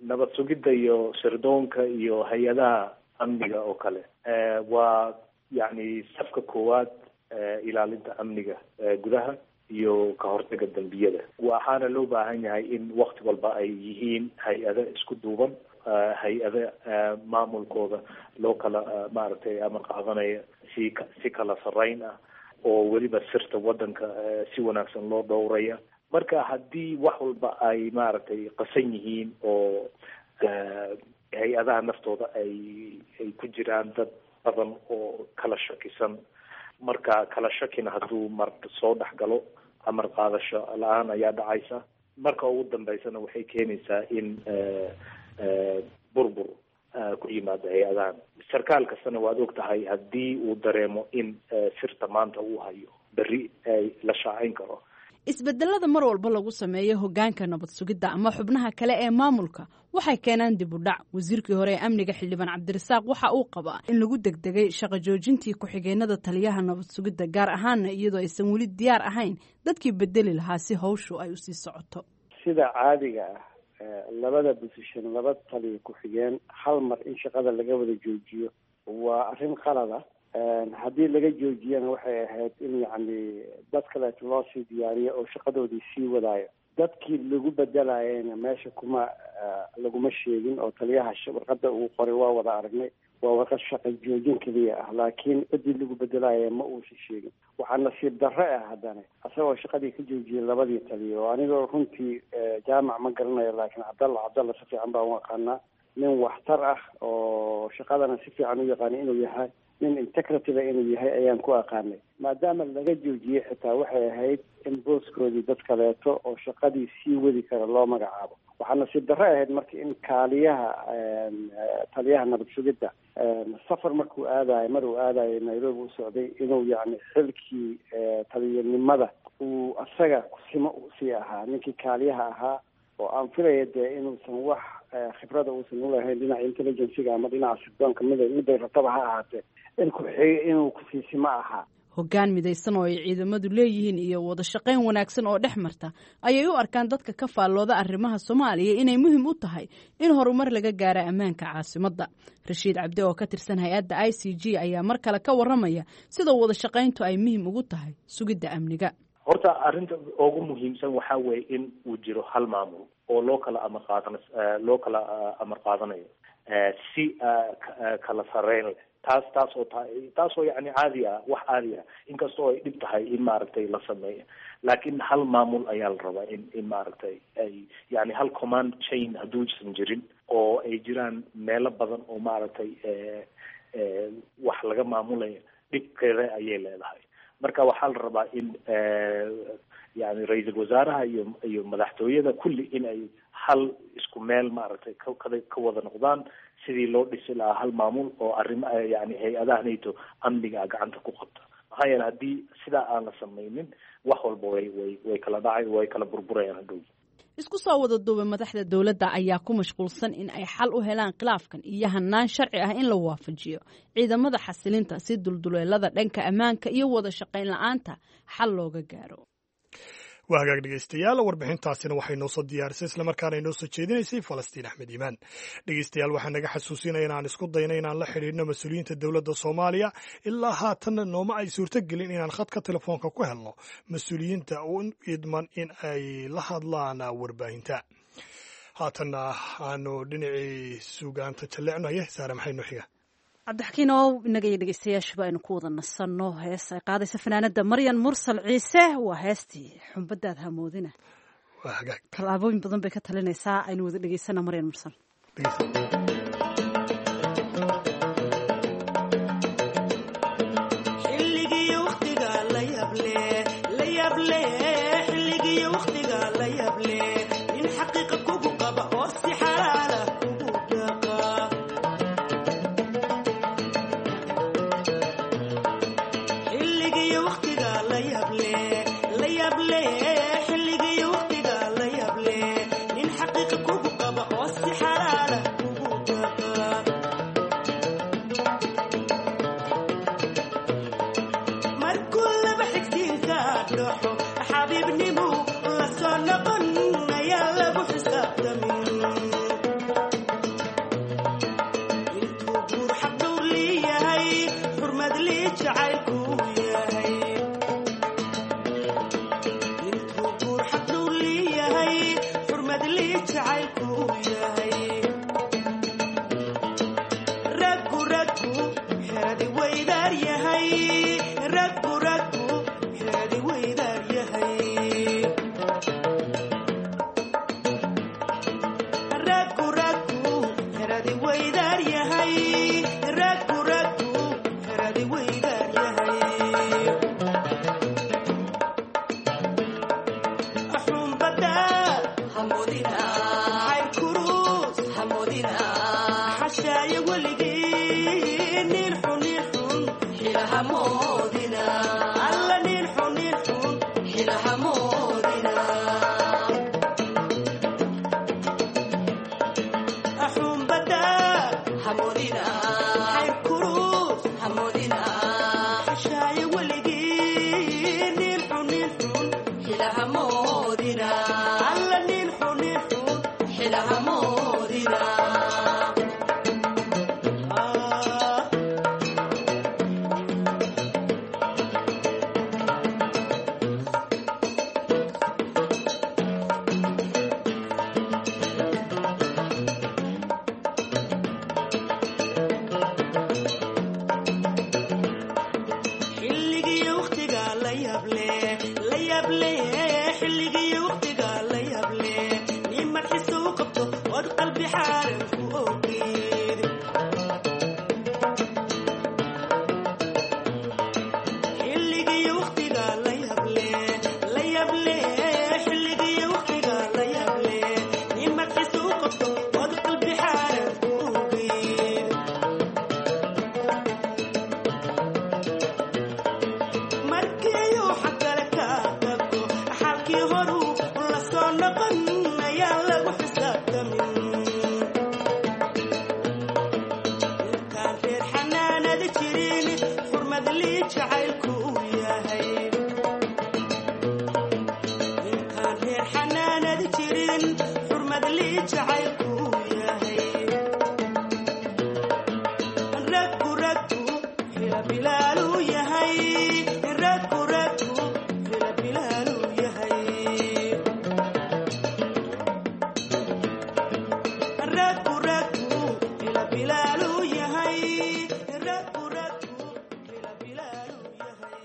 nabad sugidda iyo sirdoonka iyo hay-adaha amniga oo kale waa yacni safka koowaad ilaalinta amniga gudaha iyo ka hortagga dambiyada. Waxaana loo baahan yahay in wakti walba ay yihiin hay-ado isku duuban, hay-ado maamulkooda loo kala maaragtay amar qaadanaya si kala sarreyn ah, oo weliba sirta waddanka si wanaagsan loo dhowraya. Marka haddii wax walba ay maaragtay qasan yihiin oo hay-adaha naftooda ay ku jiraan dad badan oo kala shakisan, marka kala shakina hadduu mar soo dhex galo, amar qaadasho la-aan ayaa dhacaysa. Marka ugu dambeysana waxay keenaysaa in burbur ku yimaado hay-adahan. Sarkaal kastana waad og tahay, haddii uu dareemo in sirta maanta uu hayo berri ay la shaacin karo. Isbedelada mar walba lagu sameeyo hoggaanka nabad sugidda ama xubnaha kale ee maamulka waxay keenaan dib u dhac. Wasiirkii hore ee amniga, xildhibaan Cabdirasaaq, waxa uu qabaa in lagu degdegay shaqo joojintii ku-xigeenada taliyaha nabad sugidda, gaar ahaana iyadoo aysan weli diyaar ahayn dadkii bedeli lahaa si hawshu ay usii socoto. Sida caadiga ah, labada position, laba taliya ku-xigeen hal mar in shaqada laga wada joojiyo waa arrin qalada. Haddii laga joojiyana, waxay ahayd in yacni dad kaleeto loo sii diyaariyo oo shaqadoodii sii wadaayo. Dadkii lagu bedelayana meesha kuma laguma sheegin, oo taliyaha warqadda uu qoray waa wada aragnay, waa warqad shaqa joojin keliya ah, laakiin ciddii lagu bedelaya ma uusan sheegin. Waxaa nasiib darre ah haddana isagoo shaqadii ka joojiyey labadii taliya, oo anigoo runtii Jaamac ma garanayo, laakiin Cabdalla Cabdalla si fiican baan u aqaanaa, nin waxtar ah oo shaqadana si fiican u yaqaana inuu yahay, nin integrity inuu yahay ayaan ku aqaanay. Maadaama laga joojiyey, xitaa waxay ahayd in booskoodii dad kaleeto oo shaqadii sii wadi kara loo magacaabo. Waxaa nasiib darre ahayd marka in kaaliyaha taliyaha nabad sugidda safar markuu aadayo, mar uu aadayo Nairobi u socday, inuu yacni xilkii taliyanimada uu asaga kusimo sii ahaa ninkii kaaliyaha ahaa, oo aan filaya dee inuusan wax khibrada uusan ulahayn dhinaca intelligencega ama dhinaca sirdoonka, mid miday rabtaba ha ahaatee, in ku-xig inuu kusiisimo ahaa. Hoggaan midaysan oo ay ciidamadu leeyihiin iyo wada shaqayn wanaagsan oo dhex marta ayay u arkaan dadka ka faallooda arrimaha Soomaaliya inay muhiim u tahay in horumar laga gaaro ammaanka caasimadda. Rashiid Cabdi oo ka tirsan hay-adda ICG ayaa mar kale ka waramaya sida wada shaqayntu ay muhiim ugu tahay sugidda amniga. Horta arrinta ugu muhiimsan waxaa weeye in uu jiro hal maamul oo loo kala amar qaadanayo si kala sarreyn leh. Taas oo taas oo yani caadi ah, wax caadi ah, inkastoo ay dhib tahay in maaragtay la sameeyo. Laakiin hal maamul ayaa la rabaa in maaragtay ay yani hal command chain hadduusan jirin oo ay jiraan meelo badan oo maaragtay wax laga maamulayo, dhibkeeda ayay leedahay. Marka waxaa la rabaa in yani ra-iisul wasaaraha iyo madaxtooyada kulli in ay hal isku meel maaragtay ka wada noqdaan sidii loo dhisi lahaa hal maamul oo arrimo yani hay-adaha nato amniga gacanta ku qabta. Maxaa yeele haddii sidaa aan la samaynin, wax walba way kala dhacay, way kala burburayaan hadhow. Isku soo wada duubay, madaxda dowladda ayaa ku mashquulsan in ay xal u helaan khilaafkan iyo hanaan sharci ah in la waafajiyo ciidamada xasilinta si dulduleelada dhanka ammaanka iyo wada shaqayn la-aanta xal looga gaaro. Waa hagaag, dhegeystayaal. Warbixintaasina waxay noo soo diyaarisay islamarkaana inoo soo jeedinaysay Falastiin Axmed Iimaan. Dhegeystayaal, waxaa naga xasuusinaya inaan isku dayna inaan la xidhiidhno mas-uuliyiinta dowladda Soomaaliya. Ilaa haatanna nooma ay suurtogelin inaan khadka telefoonka ku helno mas-uuliyiinta u idman in ay la hadlaan warbaahinta. Haatanna aanu dhinacii suugaanta jalleecnaye. Saare, maxay noo xiga? Cabdixakiin oo inaga iyo dhegeystayaashuba aynu ku wada nasanno hees ay qaadaysa fanaanada Maryan Mursal Ciise. Waa heestii Xumbadaad Hamoodina. Waa hagaag. Tallaabooyin badan bay ka talinaysaa. Aynu wada dhegeysana Maryan Mursal. Xilligii waqtiga la yable, la yable, xilligii waqtiga la yable, nin xaqiiqa kugu qaba oo si xalaala kugu dhaqa. Xilligii waqtiga la yable, la yable, xilligii waqtiga la yable, nin xaqiiqa kugu qaba oo si xalaala kugu dhaqa. Markuu laba xigsiinka dhaxo, xabiibnimu la soo noqon ayaa lagu xisaabtamin. Intuu guur xaq dhowr leeyahay, xurmad lii jacaylku yahay. Intuu guur xaq dhowr leeyahay, xurmad lii jacaylku yahay. Raggu raggu xeradi weydaar yahay, raggu raggu xeradi weydaar yahay, raggu raggu xeradi weydaar yahay, raggu raggu xeradi weydaar yahay. Xumbada hamoodina, xayrkurus hamoodina, xashaaye weligii nin xun, nin xun xilahamoodina, alla nin xun, nin xun xilahamoodina. Xumbada hamoodina, xayrkurus hamoodina, xashaaye weligii nin xun, nin xun xilahamoodina, alla nin xun, nin xun xilahamoodina. Xilligii waqtiga la yable, la yable, xilligii waqtiga la yable, nimad xiso u qabto ood qalbi xaaran ku ogeed. Xilligii waqtiga la yable, la yable, xilligii waqtiga la yable, nimad xiso u qabto ood qalbi xaaran ku ogeed. Markiiuu xagkale ka tago, xalkii horuu la soo noqon ayaa lagu xisaabtamin. Intaan reer xanaanada jirin, xurmad lii jacaylku yahay. Intaan reer xanaanada jirin, xurmad lii jacaylku yahay. Raggu raggu xila bilaaluu yahay, raggu raggu xila bilaaluu yahay, raggu raggu xila bilaaluu yahay, raggu raggu xila bilaaluu yahay.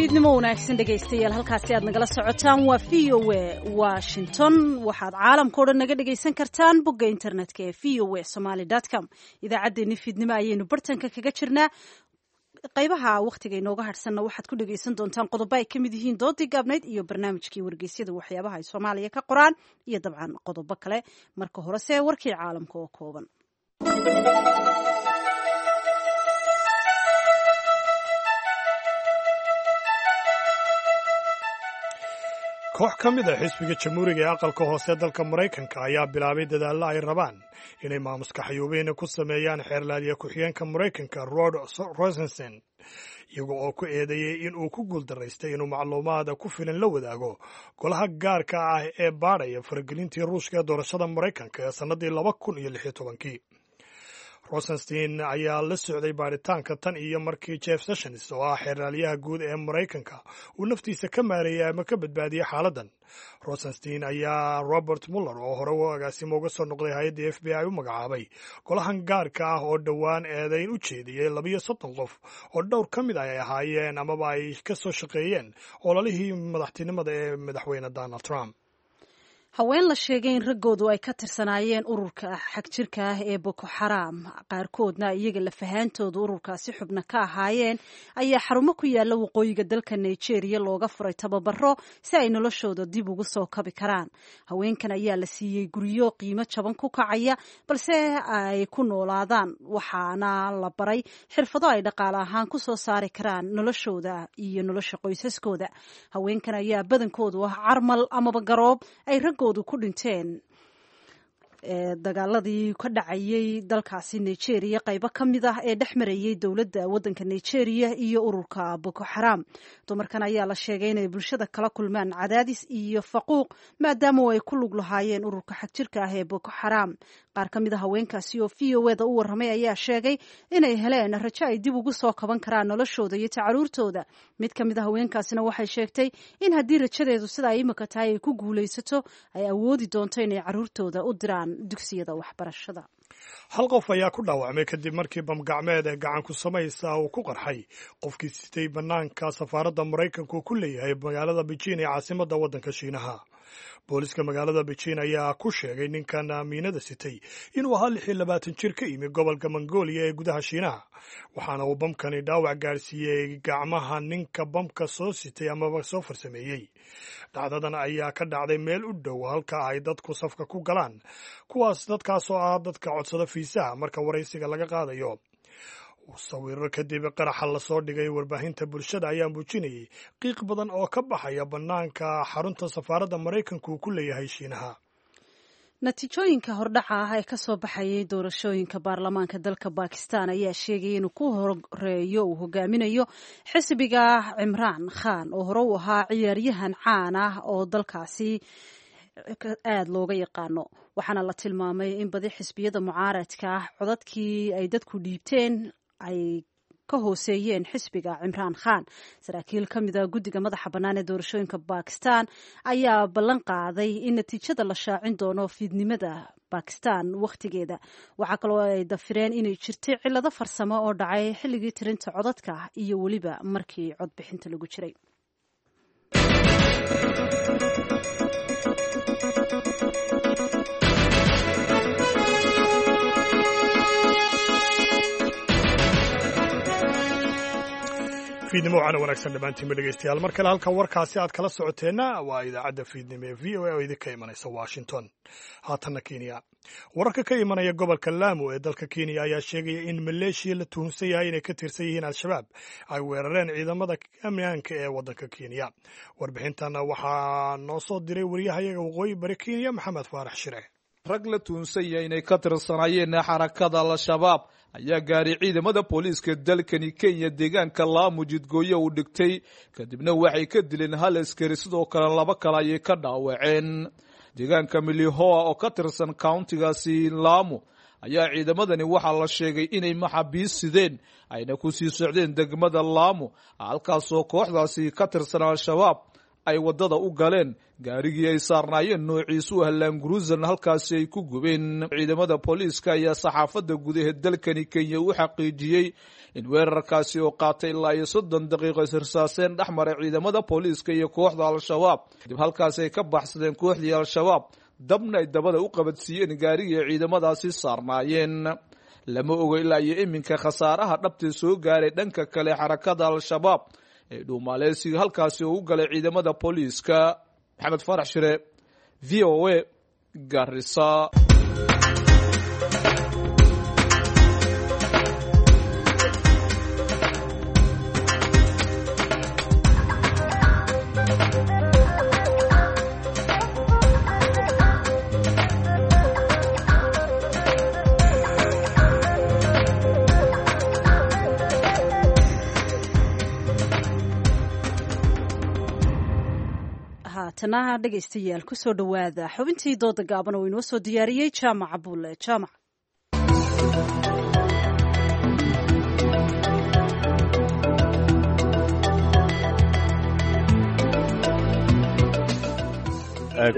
Fiidnimo wanaagsan dhegaystayaal, halkaasi aad nagala socotaan waa v o a Washington. Waxaad caalamka o dhan naga dhegaysan kartaan bogga internetka ee v o a somaly com. Idaacaddeenni fiidnimo ayaynu bartanka kaga jirnaa. Qaybaha wakhtiga inooga hadhsanna waxaad ku dhegaysan doontaan qodobo ay ka mid yihiin doodii gaabnayd iyo barnaamijkii wargeysyada, waxyaabaha ay Soomaaliya ka qoraan iyo dabcan qodobo kale. Marka horese warkii caalamka oo kooban. Koox ka mid a xisbiga Jamhuuriga ee aqalka hoose dalka Maraykanka ayaa bilaabay dadaallo ay rabaan inay maamuska xayuubeyna ku sameeyaan xeerlaaliya ku-xigeenka Maraykanka Rod Rosenstein, iyaga oo ku eedeeyey in uu ku guuldaraystay inuu macluumaad ku filan la wadaago golaha gaarka ah ee baadhaya faragelintii Ruushka ee doorashada Maraykanka ee sannaddii 2016-kii. Rosenstein ayaa la socday baaritaanka tan iyo markii Jeff Sessions, oo ah xeeraalyaha guud ee Maraykanka, uu naftiisa ka maareeyay ama ka badbaadiyey xaaladdan. Rosenstein ayaa Robert Muller, oo hore u agaasimo uga soo noqday hay-adda FBI, u magacaabay golahan gaarka ah oo dhowaan eedayn u jeediyey 32 qof oo dhowr ka mid ay ahaayeen amaba ay ka soo shaqeeyeen ololihii madaxtinimada ee madaxweyne Donald Trump. Haween la sheegay in raggoodu ay ka tirsanaayeen ururka xagjirka ah ee Boko Xaraam, qaarkoodna iyaga lafahaantooda ururkaasi xubno ka ahaayeen, ayaa xarumo ku yaala waqooyiga dalka Nigeria looga furay tababaro si ay noloshooda dib ugu soo kabi karaan. Haweenkan ayaa la siiyey guryo qiimo jaban ku kacaya balse ay ku noolaadaan, waxaana la baray xirfado ay dhaqaale ahaan ku soo saari karaan noloshooda iyo nolosha qoysaskooda. Haweenkan ayaa badankoodu ah carmal amaba garoob ay raggoodu ku dhinteen dagaaladii ka dhacayay dalkaasi Nigeria qaybo ka mid ah ee dhex marayay dowladda waddanka Nigeria iyo ururka Boko Xaraam. Dumarkan ayaa la sheegay inay bulshada kala kulmaan cadaadis iyo faquuq maadaama ay ku lug lahaayeen ururka xagjirka ah ee Boko Xaraam. Qaar ka mid a haweenkaasi oo v o eda u warramay ayaa sheegay inay heleen rajo ay dib ugu soo kaban karaan noloshooda iyo tacaruurtooda. Mid ka mid a haweenkaasina waxay sheegtay in haddii rajadeedu sida ay imika tahay ay ku guulaysato, ay awoodi doonto inay caruurtooda u diraan dugsiyada waxbarashada. Hal qof ayaa ku dhaawacmay kadib markii bamgacmeed ee gacan ku samaysa uu ku qarxay qofkii sitay bannaanka safaaradda Maraykanku ku leeyahay magaalada Beijing ee caasimadda waddanka Shiinaha. Booliska magaalada Beijing ayaa ku sheegay ninkan miinada sitay inuu ahaa 26 jir ka yimi gobolka Mongolia ee gudaha Shiinaha, waxaana uu bamkani dhaawac gaarsiiyey gacmaha ninka bamka soo sitay amaba soo farsameeyey. Dhacdadan ayaa ka dhacday meel u dhow halka ay dadku safka ku galaan, kuwaas dadkaasoo ah dadka codsada fiisaha marka waraysiga laga qaadayo. Sawiro kadib qaraxa lasoo dhigay warbaahinta bulshada ayaa muujinayay qiiq badan oo ka baxaya bannaanka xarunta safaaradda Maraykanku uu ku leeyahay Shiinaha. Natiijooyinka hordhaca ah ee kasoo baxayay doorashooyinka baarlamaanka dalka Bakistan ayaa sheegaya inuu ku horeeyo uu hogaaminayo xisbiga Cimraan Khan, oo hore u ahaa ciyaaryahan caan ah oo dalkaasi aada looga yaqaano. Waxaana la tilmaamay in badi xisbiyada mucaaradka ah codadkii ay dadku dhiibteen ay ka hooseeyeen xisbiga Cimraan Khan. Saraakiil ka mida guddiga madaxa bannaan ee doorashooyinka Bakistan ayaa ballan qaaday in natiijada la shaacin doono fiidnimada Bakistan wakhtigeeda. Waxaa kaloo ay dafireen inay jirtay cillado farsamo oo dhacay xilligii tirinta codadka iyo weliba markii codbixinta lagu jiray. Fiidnimo waxaana wanaagsan dhammaantiinba dhegeystayaal. Mar kale halka warkaasi aad kala socoteenna waa idaacadda fiidnimo ee v o a oo idinka imanaysa Washington. Haatanna Kenya. Wararka ka imanaya gobolka Lamu ee dalka Kenya ayaa sheegaya in maleeshiya la tuhunsan yahay inay ka tirsan yihiin Al-Shabaab ay weerareen ciidamada ammaanka ee waddanka Kenya. Warbixintan waxaa noo soo diray wariyahayaga waqooyi bari Kenya, Maxamed Faarax Shire. Rag la tuhunsan yahay inay ka tirsanaayeen xarakada Al-Shabaab ayaa gaaray ciidamada booliiska dalkani Kenya deegaanka Laamu jidgooye uu dhigtay, kadibna waxay ka dileen hal askari, sidoo kale laba kale ayay ka dhaawaceen. Deegaanka Milihoa oo ka tirsan countigaasi Laamu ayaa ciidamadani waxaa la sheegay inay maxaabiis sideen ayna ku sii socdeen degmada Laamu, halkaasoo kooxdaasi ka tirsan Al-Shabaab ay waddada u galeen, gaarigii ay saarnaayeen noociisu ah Land Cruiser-na halkaasi ay ku gubeen. Ciidamada booliiska ayaa saxaafadda gudaha dalkani Kenya u xaqiijiyey in weerarkaasi oo qaatay ilaa iyo 30 daqiiqo israsaaseen dhex maray ciidamada booliiska iyo kooxda Al-Shabaab. Dib halkaasi ay ka baxsadeen kooxdii Al-Shabaab, dabna ay dabada u qabadsiiyeen gaarigii ay ciidamadaasi saarnaayeen. Lama ogo ilaa iyo iminka khasaaraha dhabtee soo gaaray dhanka kale xarakada Al-Shabaab ee dhuumaaleysiga halkaasi oo u galay ciidamada booliiska. Maxamed Faarax Shire, VOA, Garissa. Haatana dhegaystayaal, kusoo dhowaada xubintii dooda gaaban oo inoo soo diyaariyey Jaamac Buule Jaamac.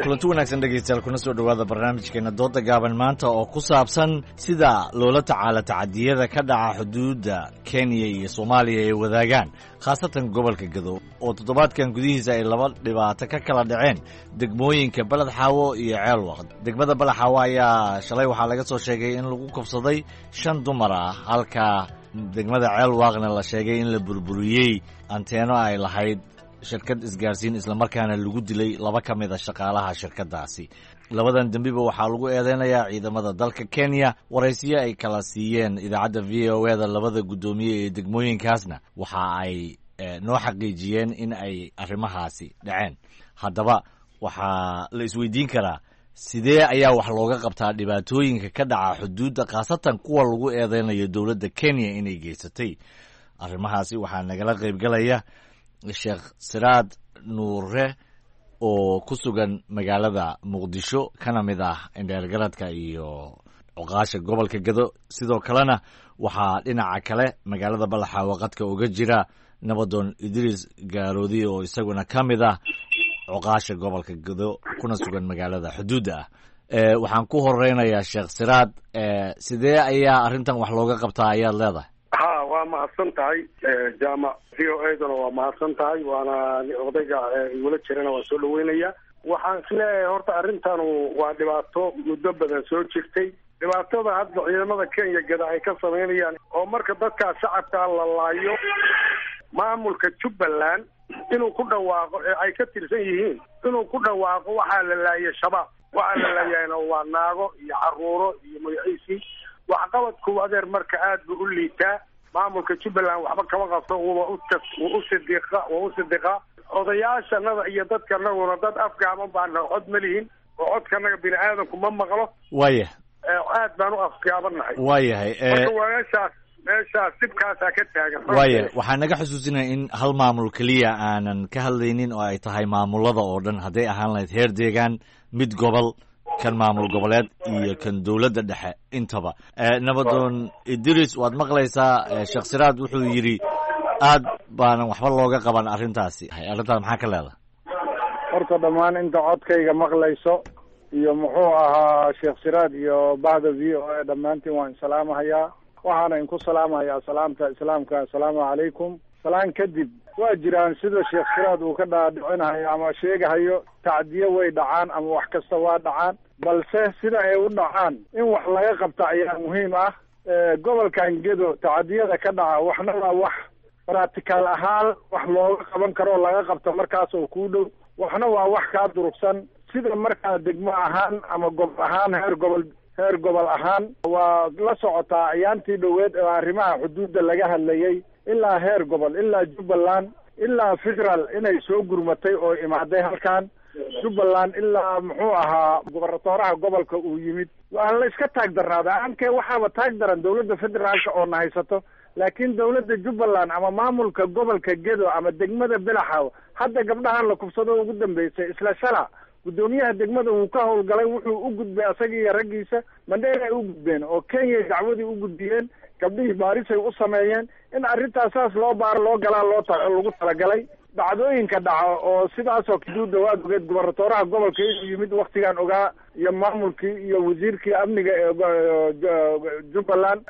Kulanti wanaagsan dhegeystayaal, kuna soo dhowaada barnaamijkeena dooda gaaban maanta oo ku saabsan sida loola tacaalo tacadiyada ka dhaca xuduudda Kenya iyo Soomaaliya ay wadaagaan, khaasatan gobolka Gado oo toddobaadkan gudihiisa ay laba dhibaato ka kala dhaceen degmooyinka Beled Xaawo iyo Ceelwaq. Degmada Beled Xaawo ayaa shalay waxaa laga soo sheegay in lagu kufsaday shan dumar ah, halka degmada Ceelwaaqna la sheegay in la burburiyey anteeno ay lahayd shirkad isgaarsiin, islamarkaana lagu dilay laba ka mid a shaqaalaha shirkaddaasi. Labadan dembiba waxaa lagu eedeynayaa ciidamada dalka Kenya. Waraysiyo ay kala siiyeen idaacadda VOA da labada guddoomiye ee degmooyinkaasna waxa ay noo xaqiijiyeen in ay arrimahaasi dhaceen. Haddaba waxaa la isweydiin karaa, sidee ayaa wax looga qabtaa dhibaatooyinka ka dhaca xuduudda, khaasatan kuwa lagu eedeynayo dowladda Kenya inay geysatay arrimahaasi? Waxaa nagala qaybgalaya Sheekh Siraad Nuure oo ku sugan magaalada Muqdisho, kana mid ah indheergaradka iyo cuqaasha gobolka Gado. Sidoo kalena waxaa dhinaca kale magaalada Balaxaawo qadka uga jira Nabadoon Idriis Gaaroodi oo isaguna ka mid ah cuqaasha gobolka Gado, kuna sugan magaalada xuduudda ah. Waxaan ku horeynayaa Sheekh Siraad. Sidee ayaa arrintan wax looga qabtaa ayaad leedahay? Ha, waa mahadsan tahay Jaamac, VOA duna waa mahadsan tahay, waana odayga igula jirana waa soo dhaweynaya. Waxaan isleeyahay horta arrintanu waa dhibaato muddo badan soo jirtay. Dhibaatada hadda ciidamada Kenya gada ay ka samaynayaan oo marka dadkaa shacabkaa la laayo, maamulka Jubbaland inuu ku dhawaaqo ee ay ka tirsan yihiin inuu ku dhawaaqo waxaa la laayay Shabaab, waxaa la laayayna waa naago iyo caruuro iyo magaciisii. Waxqabadku adeer marka aad buu u liitaa. Maamulka Jubbaland waxba kama qabto, wuba u sidiqa, wuu u sidiqaa. Odayaashanada iyo dadkanaguna dad afgaaban baana, cod ma lihin oo codkanaga bini aadamku ma maqlo. Aad baan u afgaabannahay. Waayahay. Marka waa meeshaas dhibkaasaa ka taagan. Waaya, waxaan naga xusuusinaya in hal maamul keliya aanan ka hadlaynin oo ay tahay maamulada oo dhan, hadday ahaan lahayd heer deegaan, mid gobol, kan maamul goboleed iyo kan dowladda dhexe intaba. Nabadoon Idris, waad maqlaysaa, Sheekh Siraad wuxuu yidhi aad baanan waxba looga qaban arrintaasi. Arrintaas maxaa ka leedahay? Horta dhammaan inta codkayga maqlayso iyo muxuu ahaa Sheekh Siraad iyo bahda VOA, dhammaantiin waan salaamahayaa. Waxaana inku salaamahayaa salaamta Islaamka, assalaamu calaykum. Salaan kadib, waa jiraan sida Sheekh Siraad uu ka dhaadhicinahayo ama sheegahayo, tacdiyo way dhacaan ama wax kasta waa dhacaan, balse sida ay u dhacaan in wax laga qabta ayaa muhiim ah. Gobolkan Gedo tacadiyada ka dhaca waxna waa wax practical ahaan wax looga qaban karo oo laga qabto markaas oo kuu dhow, waxna waa wax kaa durugsan. Sida markaa degmo ahaan ama gobol ahaan, heer gobol ahaan, waa la socotaa ayaantii dhoweed oo arrimaha xuduudda laga hadlayay, ilaa heer gobol, ilaa Jubbaland, ilaa federal inay soo gurmatay oo imaaday halkan Jubbaland, ilaa muxuu ahaa gobernatoraha gobolka uu yimid. Waa la iska taag darnaada aankee, waxaaba taag daran dowladda federaalka oo na haysato, laakiin dowladda Jubbaland ama maamulka gobolka Gedo ama degmada Belaxaw, hadda gabdhahan la kubsado ugu dambeysay, isla shala guddoomiyaha degmada wuu ka howlgalay, wuxuu u gudbay asaga iyo raggiisa Mandheer ay u gudbeen oo Kenya dacwadii u gudbiyeen. Gabdhihii baarisay u sameeyeen in arrintaas saas loo baaro, loo galaa, loo lagu talagalay. Dhacdooyinka dhaco oo sidaasoo xuduudda waad ogeed, gubernatooraha gobolka inuu yimid waktigaan ogaa, iyo maamulkii iyo wasiirkii amniga ee Jubbaland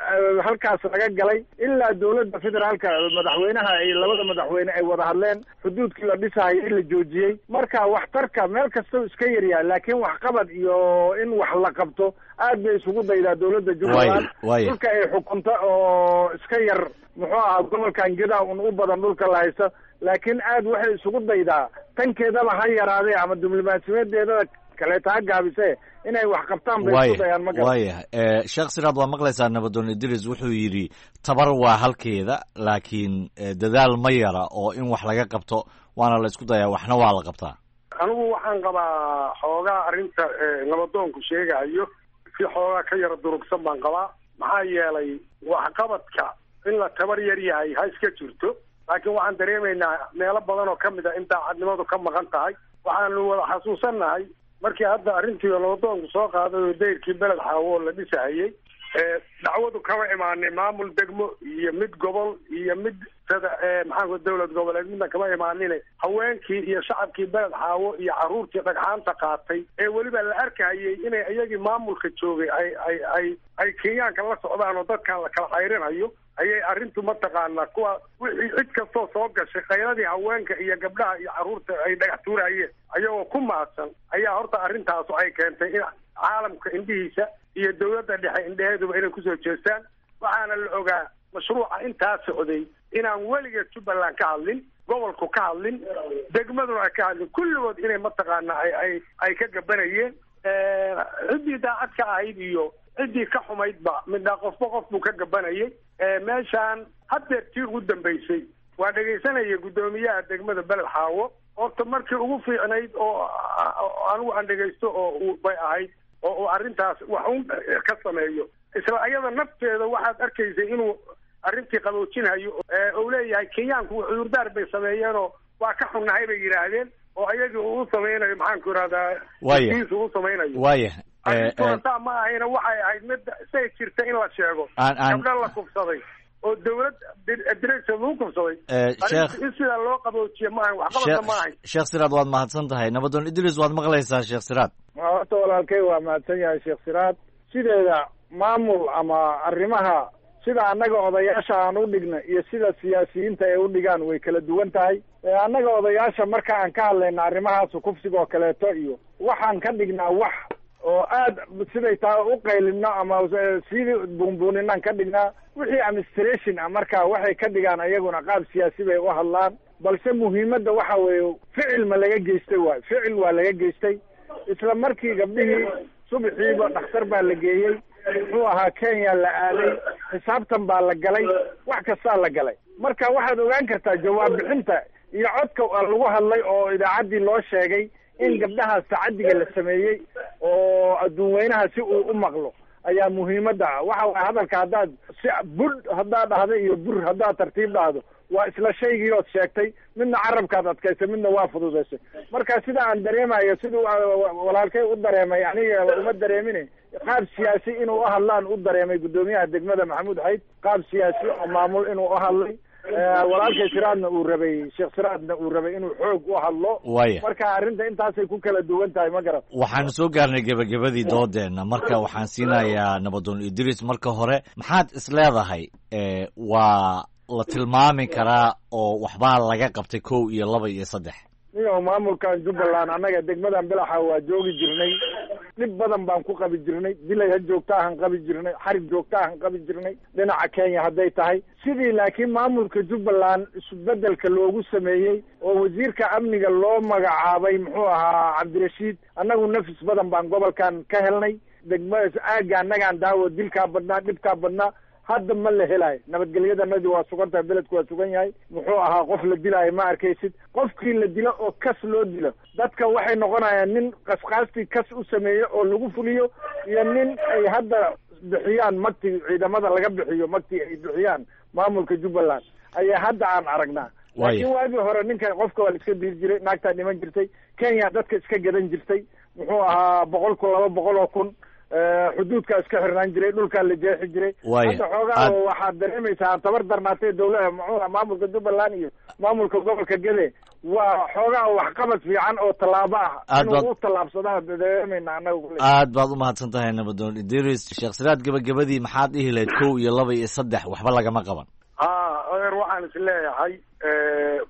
halkaas laga galay, ilaa dowladda federaalka madaxweynaha ay labada madaxweyne ay wada hadleen, xuduudkii la dhisahayay in la joojiyey. Marka waxtarka meel kastau iska yaryahay, laakiin waxqabad iyo in wax la qabto aad bay isugu daydaa dowladda Jubbaland. Dhulka ay xukunta oo iska yar, muxuu ahaa, gobolkan Gedaa un u badan dhulka la haysto, laakiin aad waxay isugu daydaa, tankeedaba ha yaraadee ama diblomaasiyadeedada kaleeta ha gaabise, inay wax qabtaan bay isku dayaan, ma garan. Waayahay, Sheekh Siraad, waa maqlaysaa Nabadoon Idris wuxuu yidhi tabar waa halkeeda, laakiin dadaal ma yara oo in wax laga qabto waana la isku dayaa, waxna waa la qabtaa. Anigu waxaan qabaa xoogaa arrinta nabadoonku sheegayo si xoogaa ka yara durugsan baan qabaa. Maxaa yeelay, waxqabadka in la tabar yar yahay ha iska jirto, laakiin waxaan dareemaynaa meelo badan oo ka mid a in daacadnimadu ka maqan tahay. Waxaanu wada xasuusannahay markii hadda arrintii nabadoonku soo qaaday oo dayrkii Beled Xaawo oo la dhisahayey, dacwadu kama imaanin maamul degmo iyo mid gobol iyo mid sada maxaanku dowlad goboleed, midna kama imaanine. Haweenkii iyo shacabkii Beled Xaawo iyo carruurtii dhagxaanta qaatay ee weliba la arkayay inay iyagii maamulka joogay ay Kenyaanka la socdaan oo dadkan la kala cayrinayo ayay arrintu, mataqaanaa, kuwa wixii cid kastoo soo gashay khayradii haweenka iyo gabdhaha iyo carruurta ay dhagax tuurayeen ayagoo ku mahadsan ayaa horta arrintaasu ay keentay in caalamka indhihiisa iyo dowladda dhexe indheheeduba inay kusoo jeestaan. Waxaana la ogaa mashruuca intaa socday inaan weligeed Jubbaland ka hadlin, gobolku ka hadlin, degmaduna ay ka hadlin, kulligood inay mataqaanaa ay ka gabanayeen. Ciddii daacad ka ahayd iyo ciddii ka xumaydba midna qofba qof buu ka gabanayay. Meeshaan haddeer tii ugu dambaysay waa dhegaysanaya guddoomiyaha degmada Beled Xaawo. Horta markii ugu fiicnayd oo anigu aan dhegaysto oo bay ahayd oo uu arrintaas wax un ka sameeyo. Isla ayada nafteeda waxaad arkaysay inuu arrintii qaboojinhayo, uu leeyahay Kenyaanku cudurdaar bay sameeyeenoo waa ka xunnahay bay yidhaahdeen, oo ayagii uu u sameynayo, maxaanku ihahdaa, iisu u samaynayo. Arrintuna saa ma ahayna, waxay ahayd mid say jirta in la sheego. Gabdho la kufsaday oo dowlad direction lagu kufsaday, in sidaa loo qaboojiye ma ahayn, waxqabadka ma ahayn. Sheekh Siraad, waad mahadsan tahay. Nabadoon Idris, waad maqlaysaa Sheekh Siraad. Horta walaalkay waa mahadsan yahay Sheekh Siraad. Sideeda maamul ama arrimaha sida annaga odayaasha aan u dhigna iyo sida siyaasiyiinta ay u dhigaan way kala duwan tahay. Annaga odayaasha marka aan ka hadlayna arrimahaas kufsiga oo kaleeto iyo waxaan ka dhignaa wax oo aad siday taa u qaylino ama sii buunbuuninaan ka dhignaa. Wixii administration ah marka waxay ka dhigaan ayaguna qaab siyaasi bay u hadlaan, balse muhiimadda waxa weeye ficil ma laga geystay waayo. Ficil waa laga geystay. Isla markii gabdhihii subaxiiba dhakhtar baa la geeyey, muxuu ahaa, Kenya la aaday, xisaabtan baa la galay, wax kastaa la galay. Marka waxaad ogaan kartaa jawaab bixinta iyo codka lagu hadlay oo idaacaddii loo sheegay in gabdhahaas tacadiga la sameeyey oo adduun weynaha si uu u maqlo ayaa muhiimadda ah. Waxa waay hadalka haddaad si budh haddaad dhahdo iyo bur haddaad tartiib dhahdo, waa isla shaygii ood sheegtay, midna carabkaad adkaysay, midna waa fududaysay. Marka sida aan dareemayo, siduu walaalkay u dareemay aniga uma dareemine, qaab siyaasi inuu uhadlaan u dareemay guddoomiyaha degmada Maxamuud Xayd, qaab siyaasi oo maamul inuu uhadlay. Walaalkay Siraadna uu rabay, Sheekh Siraadna uu rabay inuu xoog u hadlo. Marka arrinta intaasay ku kala duwan tahay, ma garan. Waxaanu soo gaarnay gebagabadii doodeenna. Marka waxaan siinayaa Nabadoon Idris. Marka hore, maxaad is leedahay waa la tilmaami karaa oo waxbaa laga qabtay, kow iyo laba iyo saddex? Niyow, maamulkan Jubbaland annaga degmadan Bilaxa waa joogi jirnay, dhib badan baan ku qabi jirnay, dilay ha joogta ahan qabi jirnay, xarig joogta ahan qabi jirnay dhinaca Kenya hadday tahay sidii. Laakiin maamulka Jubbaland isbedelka loogu sameeyey oo wasiirka amniga loo magacaabay, muxuu ahaa, Cabdirashiid, annagu nafis badan baan gobolkan ka helnay. Degmadaas aagga annagaan daawo dilkaa badnaa, dhibkaa badnaa hadda ma la helaayo. Nabadgelyadanadi waa sugan tahay, beledku waa sugan yahay, muxuu ahaa, qof la dilaayo ma arkaysid. Qofkii la dilo oo kas loo dilo, dadka waxay noqonayaan nin qasqaastii kas u sameeyo oo lagu fuliyo iyo nin ay hadda bixiyaan magtii, ciidamada laga bixiyo magtii ay bixiyaan maamulka Jubbaland ayaa hadda aan aragnaa. Laakiin waagii hore ninka qofka waa la iska dili jiray, naagtaa dhiman jirtay, Kenya dadka iska gadan jirtay, muxuu ahaa, 100,000, 200,000, xuduudkaa iska xirnaan jiray, dhulkaa la jeexi jiray. Hadda xoogaa waxaad dareemaysaa tabar darnaatay dawlada, muxuu maamulka Jubbaland iyo maamulka gobolka Gede Waa xoogaa waxqabad fiican oo tallaabo ah Aad inuu baad- u tallaabsadaan dareemayna annaga kule. Aad baad u mahadsan tahay, Nabadoon Idris Sheekh Siraad. Gabagabadii, maxaad dhihi lahayd kow iyo laba iyo saddex waxba lagama qaban? Ha, adeer, waxaan is leeyahay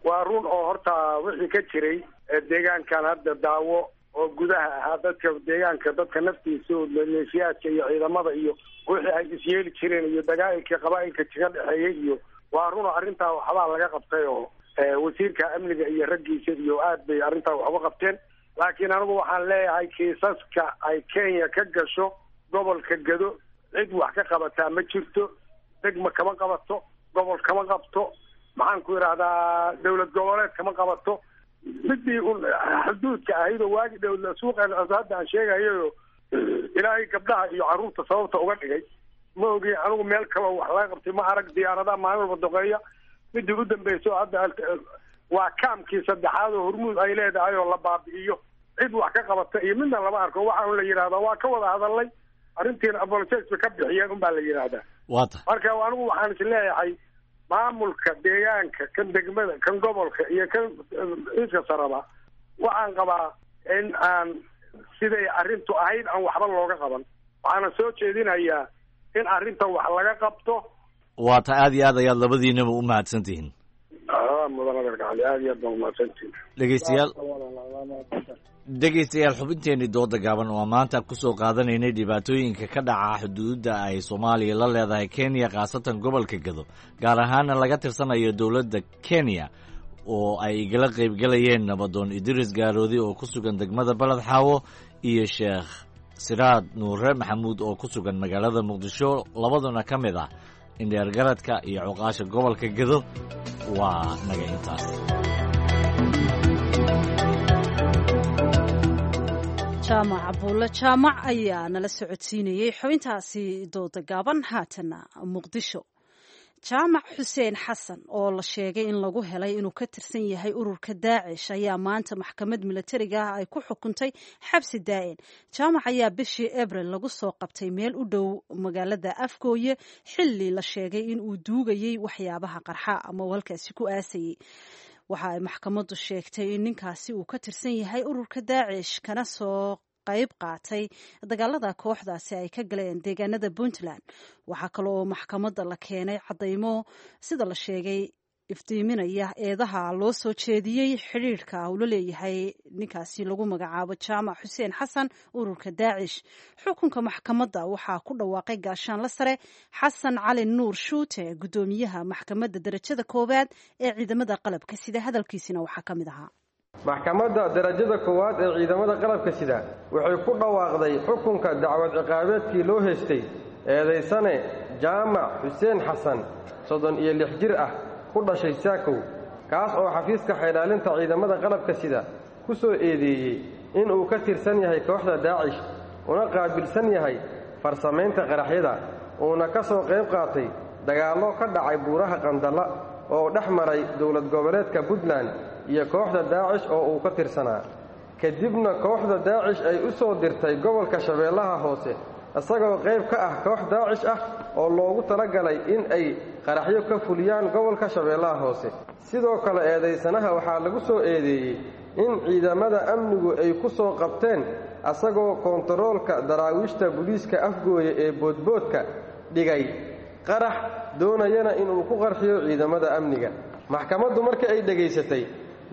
waa run oo horta wixii ka jiray deegaankan hadda daawo oo gudaha ahaa dadka deegaanka, dadka naftiisa oo maleeshiyaadka iyo ciidamada iyo wixii ay isyeeli jireen iyo dagaalka qabaa'ilka ka dhexeeyay iyo waa run oo arrintaa waxbaa laga qabtay oo wasiirka amniga iyo raggiisa iyo aad bay arrintaa wax uga qabteen. Laakiin anigu waxaan leeyahay kiisaska ay Kenya ka gasho gobolka Gado cid wax ka qabataa ma jirto. Degma kama qabato, gobol kama qabto, maxaan ku idhahdaa, dowlad goboleed kama qabato. Midii un xuduudka ahayd oo waagi dhow suuqan hadda aan sheegayayo ilaahay gabdhaha iyo carruurta sababta uga dhigay ma ogi. Anigu meel kaloo wax laga qabtay ma arag. Diyaaradaha maalin walba doqeeya. Midii u dambayso hadda waa kaamkii saddexaad oo Hormuud ay leedahay oo la baabi'iyo. Cid wax ka qabata iyo midna lama arko. Waxaa un la yidhahdaa waa ka wada hadalnay arrintiina, apologies bay ka bixiyeen un baa la yidhahdaa. Waa tahay. Marka anigu waxaan is leeyahay maamulka deegaanka, kan degmada, kan gobolka iyo kan ciidka saraba, waxaan qabaa in aan siday arrintu ahayd aan waxba looga qaban. Waxaana soo jeedinayaa in arrinta wax laga qabto. Waa tahay, aad iyo aad ayaad labadiinaba u mahadsan tihiin. Mudan adeerka Cali, aad iyo aad baan umahadsantihin. Dhegeystayaal, xubinteenii dooda gaaban oo maanta kusoo qaadanaynay dhibaatooyinka ka dhaca xuduudda ay Soomaaliya la leedahay Kenya, khaasatan gobolka Gado, gaar ahaana laga tirsanayo dowladda Kenya, oo ay igala qaybgalayeen Nabadoon Idris Gaaroodi oo ku sugan degmada Baled Xaawo iyo Sheekh Siraad Nuure Maxamuud oo ku sugan magaalada Muqdisho, labaduna ka mid ah indheergaradka iyo cuqaasha gobolka Gado. Waa naga intaas. Jaamac Abuulle Jaamac ayaa nala socodsiinayey xubintaasi dooda gaaban. Haatana Muqdisho. Jaamac Xuseen Xasan oo la sheegay in lagu helay inuu ka tirsan yahay ururka Daacish ayaa maanta maxkamad milatariga ah ay ku xukuntay xabsi daa'in. Jaamac ayaa bishii Abril lagu soo qabtay meel u dhow magaalada Afgooye xilli la sheegay in uu duugayey waxyaabaha qarxa ama uu halkaasi ku aasayey. Waxa ay maxkamaddu sheegtay in ninkaasi uu ka tirsan yahay ururka Daacish kana soo qayb qaatay dagaalada kooxdaasi ay ka galeen deegaanada Puntland. Waxaa kale oo maxkamadda la keenay caddaymo sida la sheegay iftiiminaya eedaha loo soo jeediyey xidhiirka uu la leeyahay ninkaasi lagu magacaabo Jaamac Xuseen Xasan ururka Daacish. Xukunka maxkamadda waxaa ku dhawaaqay gaashaanla sare Xasan Cali Nuur Shuute, guddoomiyaha maxkamadda darajada koowaad ee ciidamada qalabka sida. Hadalkiisina waxaa ka mid ahaa: Maxkamadda darajada koowaad ee ciidamada qalabka sida waxay ku dhawaaqday xukunka dacwad ciqaabeedkii loo heystay eedaysane Jaamac Xuseen Xasan, 36 jir ah, ku dhashay Saakow, kaas oo xafiiska xeelaalinta ciidamada qalabka sida ku soo eedeeyey inuu ka tirsan yahay kooxda Daacish una qaabilsan yahay farsamaynta qaraxyada, uuna ka soo qayb qaatay dagaallo ka dhacay buuraha Qandalla oo dhex maray dowlad goboleedka Puntland iyo kooxda Daacish oo uu ka tirsanaa, kadibna kooxda Daacish ay u soo dirtay gobolka Shabeellaha Hoose isagoo qayb ka ah koox Daacish ah oo loogu talagalay in ay qaraxyo ka fuliyaan gobolka Shabeellaha Hoose. Sidoo kale eedaysanaha waxaa lagu soo eedeeyey in ciidamada amnigu ay ku soo qabteen asagoo koontaroolka daraawiishta booliiska Afgooye ee Boodboodka dhigay qarax, doonayana inuu ku qarxiyo ciidamada amniga. Maxkamaddu marka ay dhegaysatay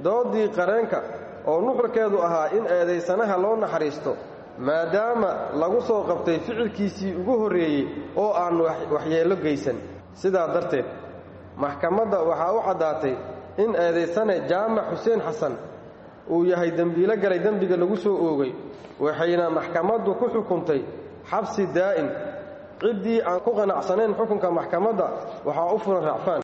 doodii qareenka oo nuxurkeedu ahaa in eedaysanaha loo naxariisto maadaama lagu soo qabtay ficilkiisii ugu horreeyey oo aan waxyeello geysan, sidaa darteed maxkamadda waxaa u caddaatay in eedaysane Jaamac Xuseen Xasan uu yahay dembiilo galay dembiga lagu soo oogay, waxayna maxkamaddu ku xukuntay xabsi daa'im. Ciddii aan ku qanacsanayn xukunka maxkamadda waxaa u furan racfaan.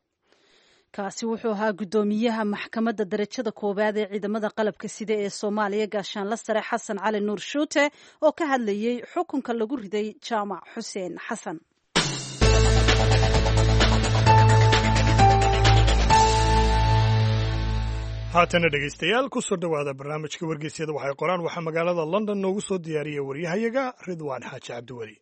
Kaasi wuxuu ahaa guddoomiyaha maxkamadda darajada koowaad ee ciidamada qalabka sida ee Soomaaliya, gaashaanla sare Xasan Cali Nuur Shuute, oo ka hadlayey xukunka lagu riday Jaamac Xuseen Xasan. Haatana dhegaystayaal, ku soo dhowaada barnaamijka wargeysyada waxay qoraan. Waxaa magaalada London noogu soo diyaariyey waryahayaga Ridwaan Xaaji Cabdiweli.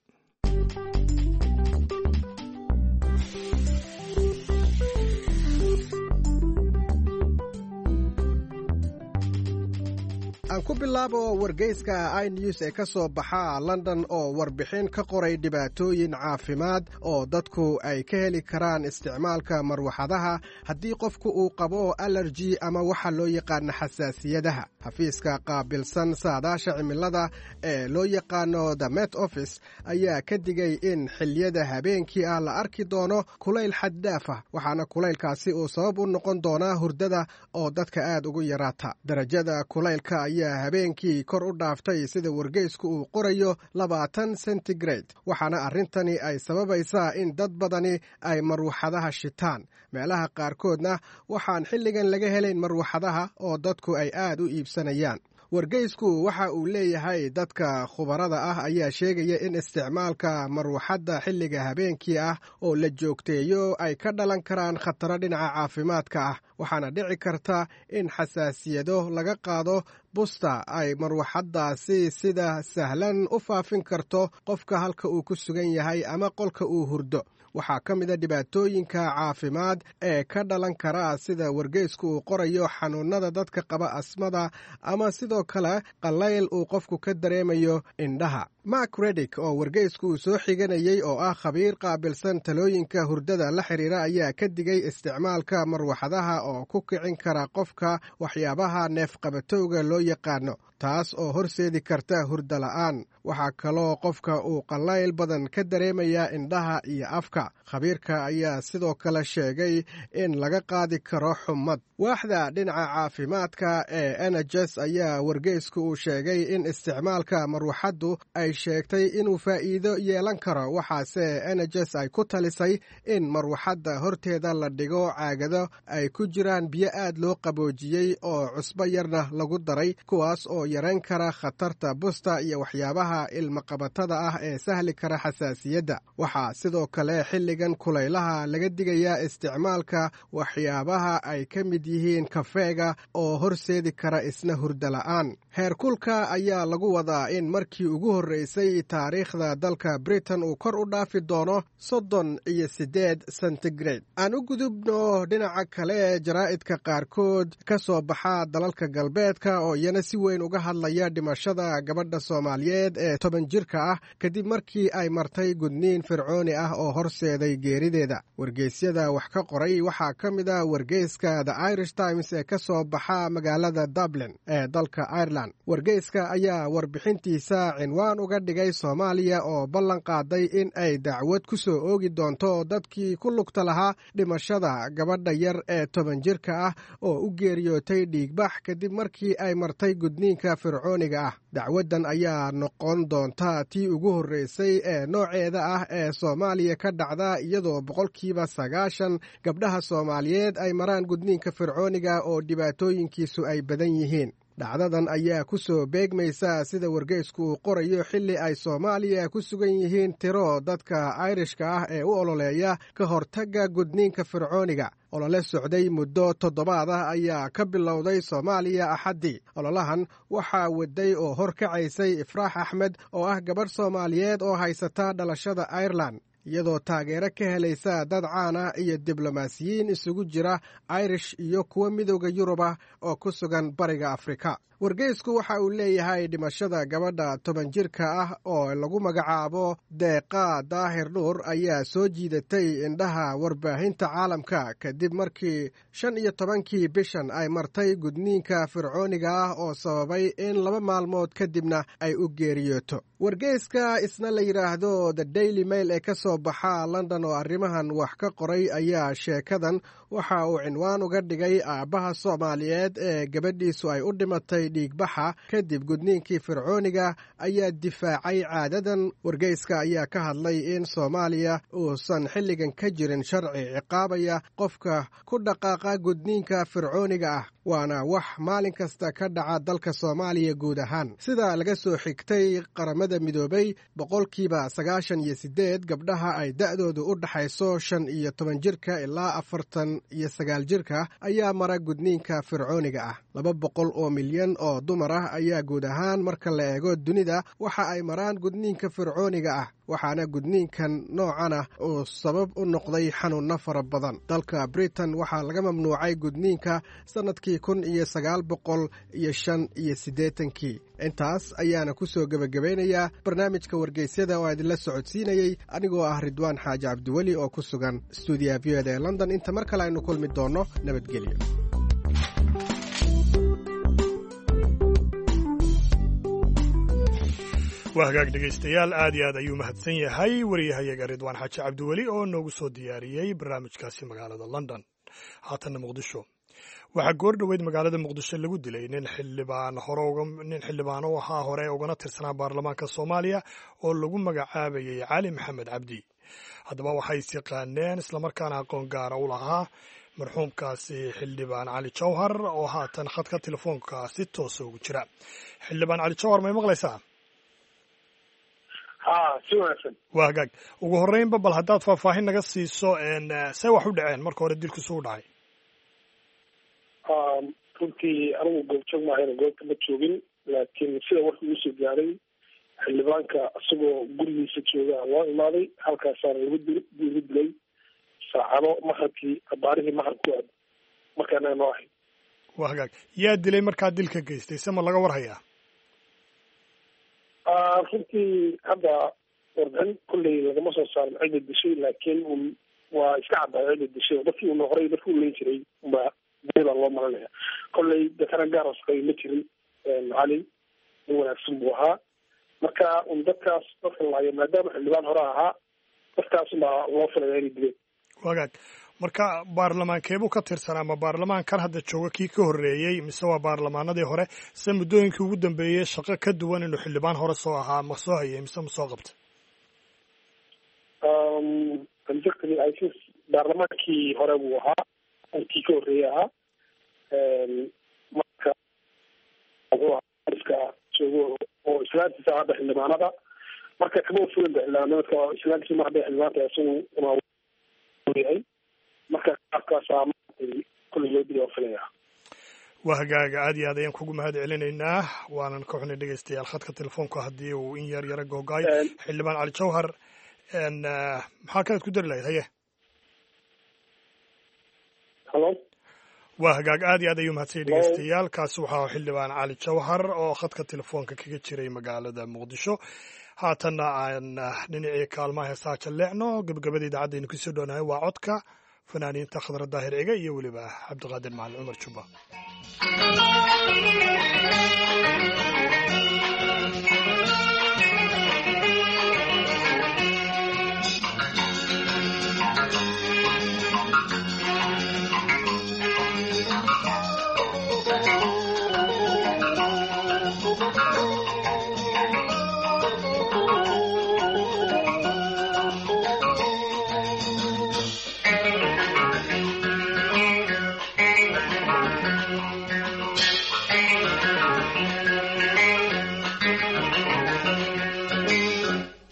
Aan ku bilaabo wargeyska iNews ee ka soo baxa London oo warbixin ka qoray dhibaatooyin caafimaad oo dadku ay ka heli karaan isticmaalka marwaxadaha haddii qofku uu qabo alerji ama waxa loo yaqaano xasaasiyadaha. Xafiiska qaabilsan saadaasha cimilada ee loo yaqaano The Met Office ayaa ka digay in xilliyada habeenkii ah la arki doono kulayl xaddaaf ah, waxaana kulaylkaasi uu sabab u noqon doonaa hurdada oo dadka aad ugu yaraata. Darajada kulaylka ayaa habeenkii kor u dhaaftay, sida wargeysku uu qorayo, 20 centigrade, waxaana arrintani ay sababaysaa in dad badani ay marwaxadaha shitaan. Meelaha qaarkoodna waxaan xilligan laga helayn marwaxadaha oo dadku ay aad u iibsanayaan. Wargeysku waxa uu leeyahay dadka khubarada ah ayaa sheegaya in isticmaalka marwaxadda xilliga habeenkii ah oo la joogteeyo ay ka dhalan karaan khataro dhinaca caafimaadka ah, waxaana dhici karta in xasaasiyado laga qaado busta ay marwaxaddaasi sida sahlan u faafin karto qofka halka uu ku sugan yahay ama qolka uu hurdo. Waxaa ka mid a dhibaatooyinka caafimaad ee ka dhalan kara, sida wargeysku uu qorayo, xanuunada dadka qaba asmada ama sidoo kale qallayl uu qofku ka dareemayo indhaha. Mark Redick oo wargeysku uu soo xiganayey oo ah khabiir qaabilsan talooyinka hurdada la xiriira ayaa ka digay isticmaalka marwaxadaha oo ku kicin kara qofka waxyaabaha neefqabatowga loo yaqaano, taas oo horseedi karta hurdo la'aan. Waxaa kaloo qofka uu qallayl badan ka dareemayaa indhaha iyo afka. Khabiirka ayaa sidoo kale sheegay in laga qaadi karo xumad. Waaxda dhinaca caafimaadka ee NHS ayaa wargeysku uu sheegay in isticmaalka marwaxaddu ay sheegtay inuu faa'iido yeelan karo, waxaase NHS ay ku talisay in marwaxadda horteeda la dhigo caagado ay ku jiraan biyo aad loo qaboojiyey oo cusbo yarna lagu daray, kuwaas oo yarayn kara khatarta busta iyo waxyaabaha ilmaqabatada ah ee sahli kara xasaasiyadda. Waxaa sidoo kale xilligan kulaylaha laga digayaa isticmaalka waxyaabaha ay ka mid yihiin kafeega oo horseedi kara isna hurdo la'aan. Heerkulka ayaa lagu wadaa in markii ugu horreysay taariikhda dalka Britain uu kor u dhaafi doono 38 centigrade. Aan u gudubno dhinaca kale, jaraa'idka qaarkood ka soo baxa dalalka galbeedka oo iyana si weyn uga hadlaya dhimashada gabadha Soomaaliyeed ee 10 jirka ah kadib markii ay martay gudniin fircooni ah oo horseeday geerideeda. Wargeysyada wax ka qoray waxaa ka mid ah wargeyska The Irish Times ee ka soo baxa magaalada Dublin ee dalka Ireland. Wargeyska ayaa warbixintiisa cinwaan uga dhigay Soomaaliya oo ballan qaaday in ay dacwad ku soo oogi doonto dadkii ku lugta lahaa dhimashada gabadha yar ee 10 jirka ah oo u geeriyootay dhiigbax kadib markii ay martay gudniinka fircooniga ah. Dacwaddan ayaa noqon doonta tii ugu horreysay ee nooceeda ah ee Soomaaliya ka dhacda, iyadoo 90% gabdhaha Soomaaliyeed ay maraan gudniinka fircooniga oo dhibaatooyinkiisu ay badan yihiin. Dhacdadan ayaa ku soo beegmaysa, sida wargeysku uu qorayo, xilli ay Soomaaliya ku sugan yihiin tiro dadka Ayrishka ah ee u ololeeya ka hortagga gudniinka fircooniga. Olole socday muddo toddobaad ah ayaa ka bilowday Soomaaliya Axaddii. Ololahan waxaa waday oo horkacaysay Ifraax Axmed oo ah gabadh Soomaaliyeed oo haysata dhalashada Ireland, iyadoo taageero ka helaysa dad caan ah iyo diblomaasiyiin isugu jira Irish iyo kuwa Midooda Yurub ah oo ku sugan Bariga Afrika. Wargeysku waxa uu leeyahay dhimashada gabadha 10 jirka ah oo lagu magacaabo Deeqa Daahir Nuur ayaa soo jiidatay indhaha warbaahinta caalamka kadib markii 15-kii bishan ay martay gudniinka fircooniga ah oo sababay in 2 maalmood kadibna ay u geeriyooto. Wargeyska isna la yidhaahdo The Daily Mail ee ka soo baxa London oo arrimahan wax ka qoray ayaa sheekadan waxa uu cinwaan uga dhigay aabbaha Soomaaliyeed ee gabadhiisu ay u dhimatay dhiigbaxa kadib gudniinkii fircooniga ayaa difaacay caadadan. Wargeyska ayaa ka hadlay in Soomaaliya uusan xilligan ka jirin sharci ciqaabaya qofka ku dhaqaaqa gudniinka fircooniga ah, waana wax maalin kasta ka dhaca dalka Soomaaliya guud ahaan. Sida laga soo xigtay Qaramada Midoobay, 98% gabdhaha ay da'doodu u dhaxayso 15 jirka ilaa 49 jirka ayaa mara gudniinka fircooniga ah. 200 oo milyan oo dumar ah ayaa guud ahaan marka la eego dunida waxa ay maraan gudniinka fircooniga ah. Waxaana gudniinkan noocan ah uu sabab u noqday xanuunno fara badan. Dalka Britain waxaa laga mamnuucay gudniinka sannadkii 1985-kii. Intaas ayaana ku soo gebagabaynayaa barnaamijka wargeysyada oo idinla socodsiinayey anigoo ah Ridwaan Xaaji Cabdiweli oo ku sugan stuudiyaha V O da ee London. Inta mar kale aynu kulmi doonno, nabadgelyo. Waa hagaag, dhegaystayaal, aad iyo aad ayuu mahadsan yahay wariyahayaga Ridwaan Xaaji Cabdiweli oo noogu soo diyaariyey barnaamijkaasi magaalada London. Haatanna Muqdisho. Waxaa goor dhoweyd magaalada Muqdisho lagu dilay nin xildhibaan hore, nin xildhibaan u ahaa hore ugana tirsanaa baarlamaanka Soomaaliya oo lagu magacaabayay Cali Maxamed Cabdi. Haddaba waxay is yaqaaneen islamarkaana aqoon gaara u lahaa marxuumkaasi xildhibaan Cali Jawhar oo haatan khadka telefoonka si toosa ugu jira. Xildhibaan Cali Jawhar, may maqlaysaa? Ha, si wanaagsan. Waa hagaag. Ugu horreynba bal haddaad faahfaahin naga siiso see wax u dhaceen marka hore, dilku suu dhacay. Runtii anigu goobjoog maahayn, goobta ma joogin, laakiin sida warka igu soo gaaray, xildhibaanka isagoo gurigiisa jooga loo imaaday, halkaasaana lagu lagu dilay saacado maqribkii, abaarihii maqrib ku aad markaana noo ahayd. Waa hagaag. Yaa dilay markaa dilka geystay, se ma laga war hayaa? Runtii hadda warbixin kolley lagama soo saarin cidda dishay, laakiin un waa iska caddahay cidda dishay oo dadkii una horey dadki u leyn jiray unbaa dilay baa loo malanaya. Kolley dadkana gaar oo shaqeey ma jirin. Cali nin wanaagsan buu ahaa. Marka un dadkaas dadka laayo, maadaama xildhibaan hore ahaa, dadkaas unbaa loo filaya inay dileen. Wagaag, marka baarlamaankeebuu ka tirsanaa? Ma baarlamaankan hadda jooga kii ka horreeyey mise waa baarlamaanadii hore? Se muddooyinkii ugu dambeeyey shaqo ka duwan inuu xildhibaan hore soo ahaa ma soo hayay mise ma soo qabtay? Exactly, I think baarlamaankii hore buu ahaa, kii ka horreeyey ahaa. Marka wuxuu ahaa iska joogo oo islaantiisa hadda xildhibaanada, marka kama fulinba xildhibaanimadka, islaantiisa mar hadday xildhibaan tahay isagu una yahay, marka qaabkaasaa maaragtay kulley loo dilay oo filaya. Waa hagaaga, aad iyo aad ayaan kugu mahad celinaynaa. Waanan ka xunay, dhegeystayaal, khadka telefoonka haddii uu in yar yara googaay. Xildhibaan Cali Jawhar, maxaa kalead ku dari lahayd? Haye. Halo. Waa hagaag, aad iyo aad ayuu mahadsanyay, dhegeystayaal. Kaasi waxaa xildhibaan Cali Jawhar oo khadka telefoonka kaga jiray magaalada Muqdisho. Haatanna aan dhinacii kaalmaha heesaha jalleecno. Gabagabada idaacadda aynu kusoo dhownahay waa codka fanaaniinta Khadra Daahir Ciga iyo weliba Cabdiqaadir Macalin Cumar Jubba.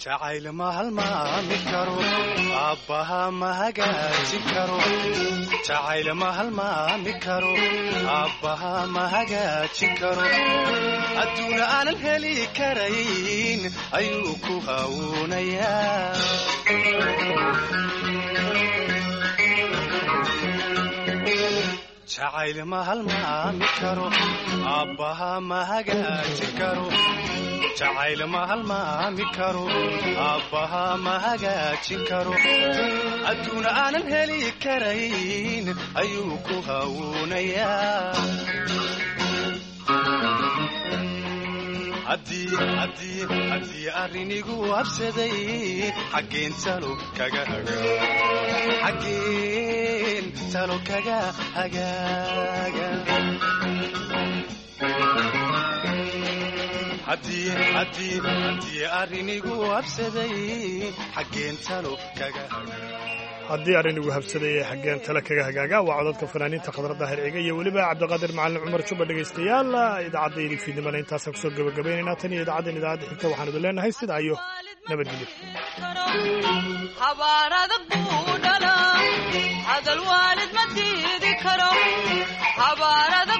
Jacayl ma halmaami karo, aabbaha ma hagaajin karo. Jacayl ma halmaami karo, aabbaha ma hagaajin karo. Adduuna aanan heli karayn ayuu ku hawuunayaa. Jacayl ma halmaami karo, aabbaha ma hagaajin karo. Jacayl ma halmaami karo, aabbaha ma hagaajin karo. Adduuna aanan heli karayn ayuu ku hawuunayaa. Haddii arrinigu habsaday, xaggeen talo kaga xaggeen talo kaga hagaaga? Haddii arrinigu habsaday, xaggeen talo kaga Haddii arrinigu habsaday ee xaggeen tale kaga hagaaga, waa codadka fanaaniinta Khadra Daahir Ciga iyo weliba Cabdiqaadir Macalin Cumar Jubba. Dhegaystayaal, idaacadda fiidnimana intaasaan kusoo gabagabaynaynaa. Tan iyo idaacaddan idaacadda xigta waxaan idin leenahay sidaa iyo nabadgelyo. Habaar adag buu dhalaa, hadal waalid ma diidi karo, habaar adag.